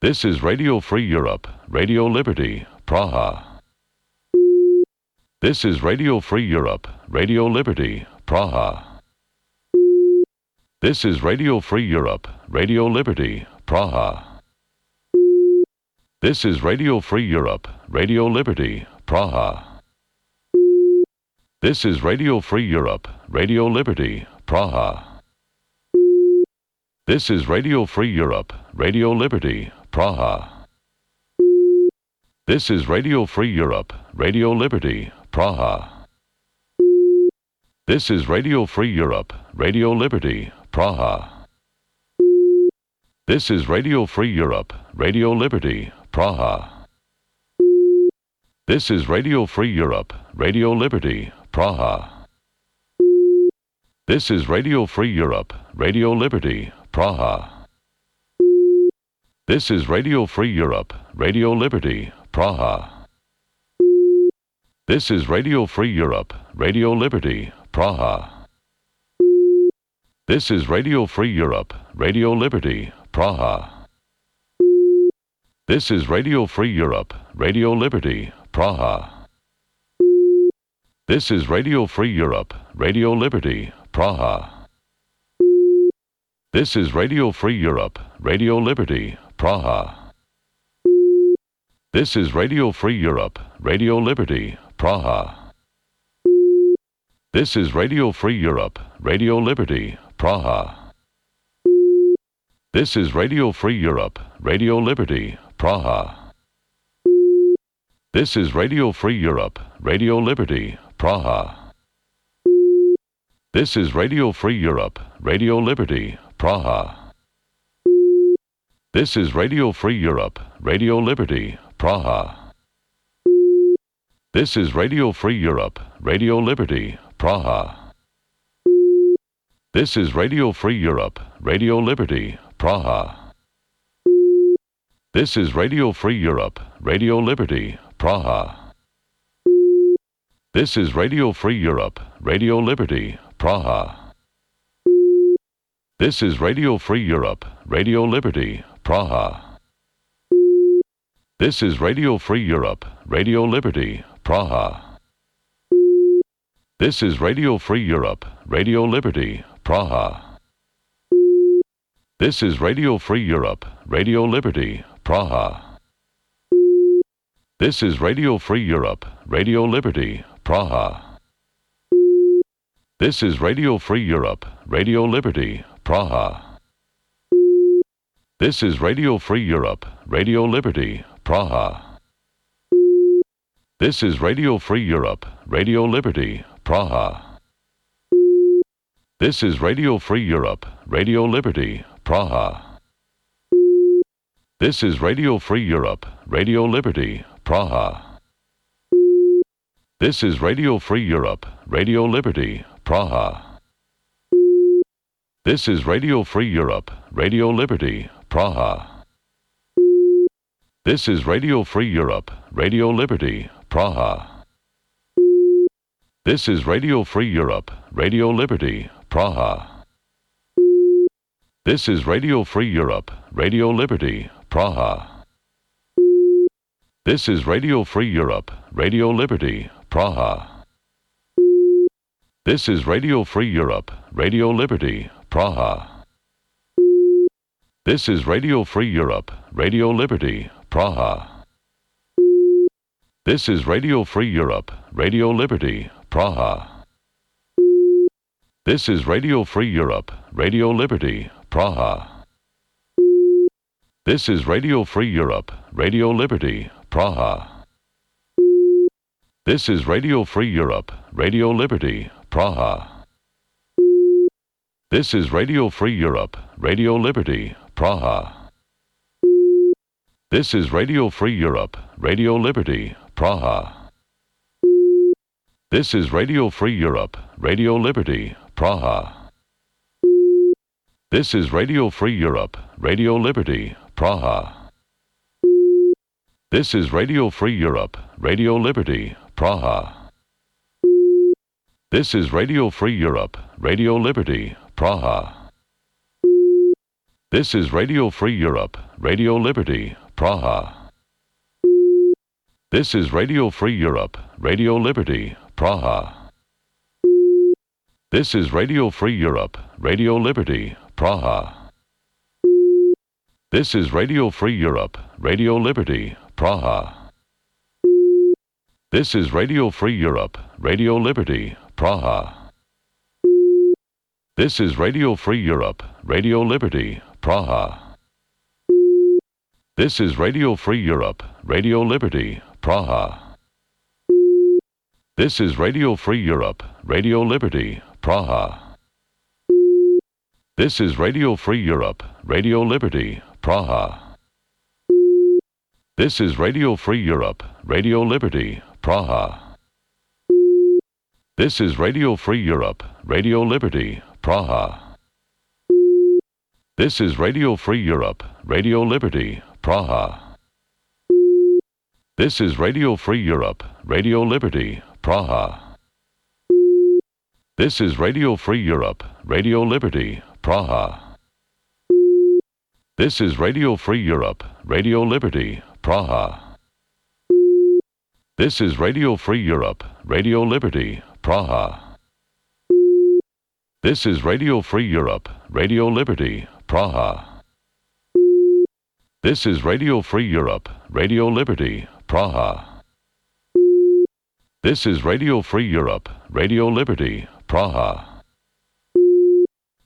This is Radio Free Europe, Radio Liberty, Praha. This is Radio Free Europe, Radio Liberty, Praha. This is Radio Free Europe, Radio Liberty, Praha. This is Radio Free Europe, Radio Liberty, Praha. This is Radio Free Europe, Radio Liberty, Praha. This is Radio Free Europe, Radio Liberty, Praha. This is Radio Free Europe, Radio Liberty, Praha. This is Radio Free Europe, Radio Liberty, Praha. This is Radio Free Europe, Radio Liberty, Praha. This is Radio Free Europe, Radio Liberty, Praha. This is Radio Free Europe, Radio Liberty, Praha. This is Radio Free Europe, Radio Liberty, Praha. This is Radio Free Europe, Radio Liberty, Praha. This is Radio Free Europe, Radio Liberty, Praha. This is Radio Free Europe, Radio Liberty, Praha. This is Radio Free Europe, Radio Liberty, Praha. This is Radio Free Europe, Radio Liberty, Praha. This is Radio Free Europe, Radio Liberty, Praha. This is Radio Free Europe, Radio Liberty, Praha. This is Radio Free Europe, Radio Liberty, Praha. This is Radio Free Europe, Radio Liberty, Praha. This is Radio Free Europe, Radio Liberty, Praha. This is Radio Free Europe, Radio Liberty, Praha. This is Radio Free Europe, Radio Liberty, Praha. This is Radio Free Europe, Radio Liberty, Praha. This is Radio Free Europe, Radio Liberty, Praha. This is Radio Free Europe, Radio Liberty, Praha. This is Radio Free Europe, Radio Liberty, Praha. This is Radio Free Europe, Radio Liberty, Praha. This is Radio Free Europe, Radio Liberty, Praha. This is Radio Free Europe, Radio Liberty, Praha. This is Radio Free Europe, Radio Liberty, Praha. This is Radio Free Europe, Radio Liberty, Praha. This is Radio Free Europe, Radio Liberty, Praha. This is Radio Free Europe, Radio Liberty, Praha. This is Radio Free Europe, Radio Liberty, Praha. This is Radio Free Europe, Radio Liberty, Praha. This is Radio Free Europe, Radio Liberty, Praha. This is Radio Free Europe, Radio Liberty, Praha. This is Radio Free Europe, Radio Liberty, Praha. This is Radio Free Europe, Radio Liberty, Praha. This is Radio Free Europe, Radio Liberty, Praha. This is Radio Free Europe, Radio Liberty, Praha. This is Radio Free Europe, Radio Liberty, Praha. This is Radio Free Europe, Radio Liberty, Praha. This is Radio Free Europe, Radio Liberty, Praha. This is Radio Free Europe, Radio Liberty, Praha. This is Radio Free Europe, Radio Liberty, Praha. This is Radio Free Europe, Radio Liberty, Praha. This is Radio Free Europe, Radio Liberty, Praha. This is Radio Free Europe, Radio Liberty, Praha. This is Radio Free Europe, Radio Liberty, Praha. This is Radio Free Europe, Radio Liberty, Praha. This is Radio Free Europe, Radio Liberty, Praha. This is Radio Free Europe, Radio Liberty, Praha. This is Radio Free Europe, Radio Liberty, Praha. This is Radio Free Europe, Radio Liberty, Praha. This is Radio Free Europe, Radio Liberty, Praha. This is Radio Free Europe, Radio Liberty, Praha. This is Radio Free Europe, Radio Liberty, Praha. This is Radio Free Europe, Radio Liberty, Praha. This is Radio Free Europe, Radio Liberty, Praha. This is Radio Free Europe, Radio Liberty, Praha. This is Radio Free Europe, Radio Liberty, Praha. This is Radio Free Europe, Radio Liberty, Praha. This is Radio Free Europe, Radio Liberty, Praha. This is Radio Free Europe, Radio Liberty, Praha. This is Radio Free Europe, Radio Liberty, Praha. This is Radio Free Europe, Radio Liberty, Praha. This is Radio Free Europe, Radio Liberty, Praha. This is Radio Free Europe, Radio Liberty, Praha. This is Radio Free Europe, Radio Liberty, Praha. This is Radio Free Europe, Radio Liberty, Praha. This is Radio Free Europe, Radio Liberty, Praha.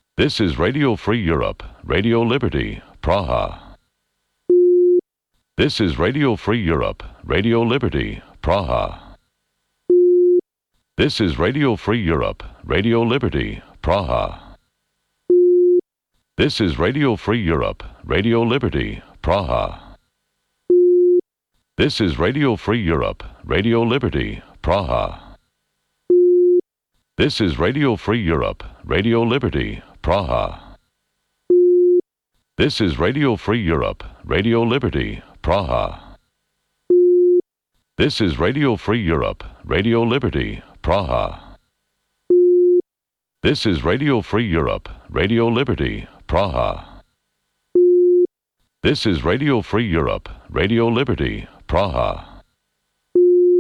This is Radio Free Europe, Radio Liberty, Praha. This is Radio Free Europe, Radio Liberty, Praha. This is Radio Free Europe, Radio Liberty, Praha. This is Radio Free Europe, Radio Liberty, Praha. This is Radio Free Europe, Radio Liberty, Praha. This is Radio Free Europe, Radio Liberty, Praha. This is Radio Free Europe, Radio Liberty, Praha. This is Radio Free Europe, Radio Liberty, Praha. This is Radio Free Europe, Radio Liberty, Praha. This is Radio Free Europe, Radio Liberty, Praha.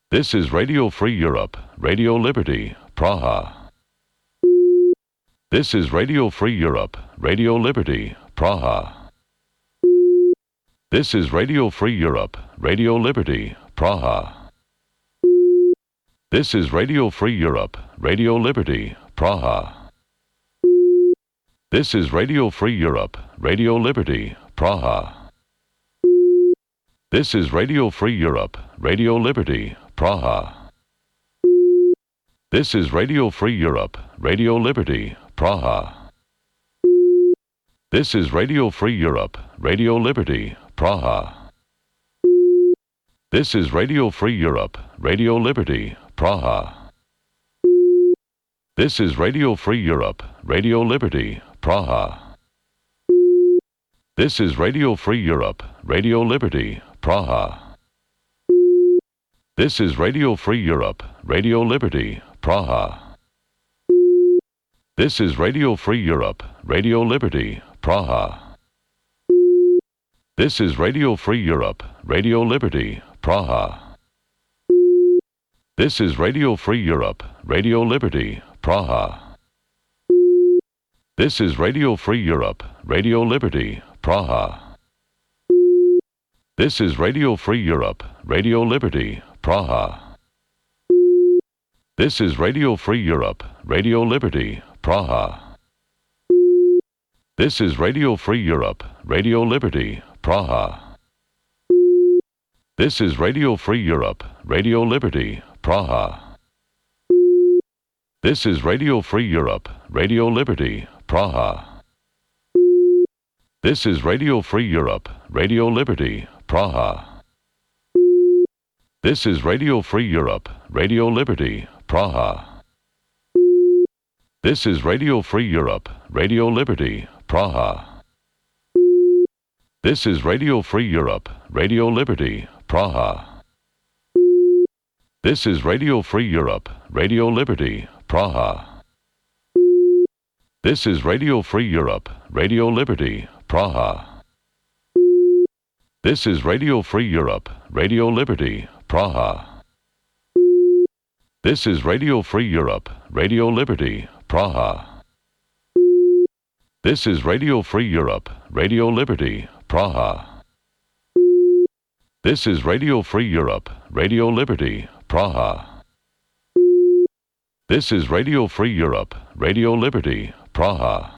This is Radio Free Europe, Radio Liberty, Praha. This is Radio Free Europe, Radio Liberty, Praha. This is Radio Free Europe, Radio Liberty, Praha. This is Radio Free Europe, Radio Liberty, Praha. This is Radio Free Europe, Radio Liberty, Praha. This is Radio Free Europe, Radio Liberty, Praha. This is Radio Free Europe, Radio Liberty, Praha. This is Radio Free Europe, Radio Liberty, Praha. This is Radio Free Europe, Radio Liberty, Praha. This is Radio Free Europe, Radio Liberty, Praha. This is Radio Free Europe, Radio Liberty, Praha. This is Radio Free Europe, Radio Liberty, Praha. This is Radio Free Europe, Radio Liberty, Praha. This is Radio Free Europe, Radio Liberty, Praha. This is Radio Free Europe, Radio Liberty, Praha. This is Radio Free Europe, Radio Liberty, Praha. This is Radio Free Europe, Radio Liberty, Praha. This is Radio Free Europe, Radio Liberty, Praha. This is Radio Free Europe, Radio Liberty, Praha. This is Radio Free Europe, Radio Liberty, Praha. This is Radio Free Europe, Radio Liberty, Praha. This is Radio Free Europe, Radio Liberty, Praha. This is Radio Free Europe, Radio Liberty, Praha. This is Radio Free Europe, Radio Liberty, Praha. This is Radio Free Europe, Radio Liberty, Praha. This is Radio Free Europe, Radio Liberty, Praha. This is Radio Free Europe, Radio Liberty, Praha. This is Radio Free Europe, Radio Liberty, Praha. This is Radio Free Europe, Radio Liberty, Praha. This is Radio Free Europe, Radio Liberty, Praha. This is Radio Free Europe, Radio Liberty, Praha. This is Radio Free Europe, Radio Liberty, Praha.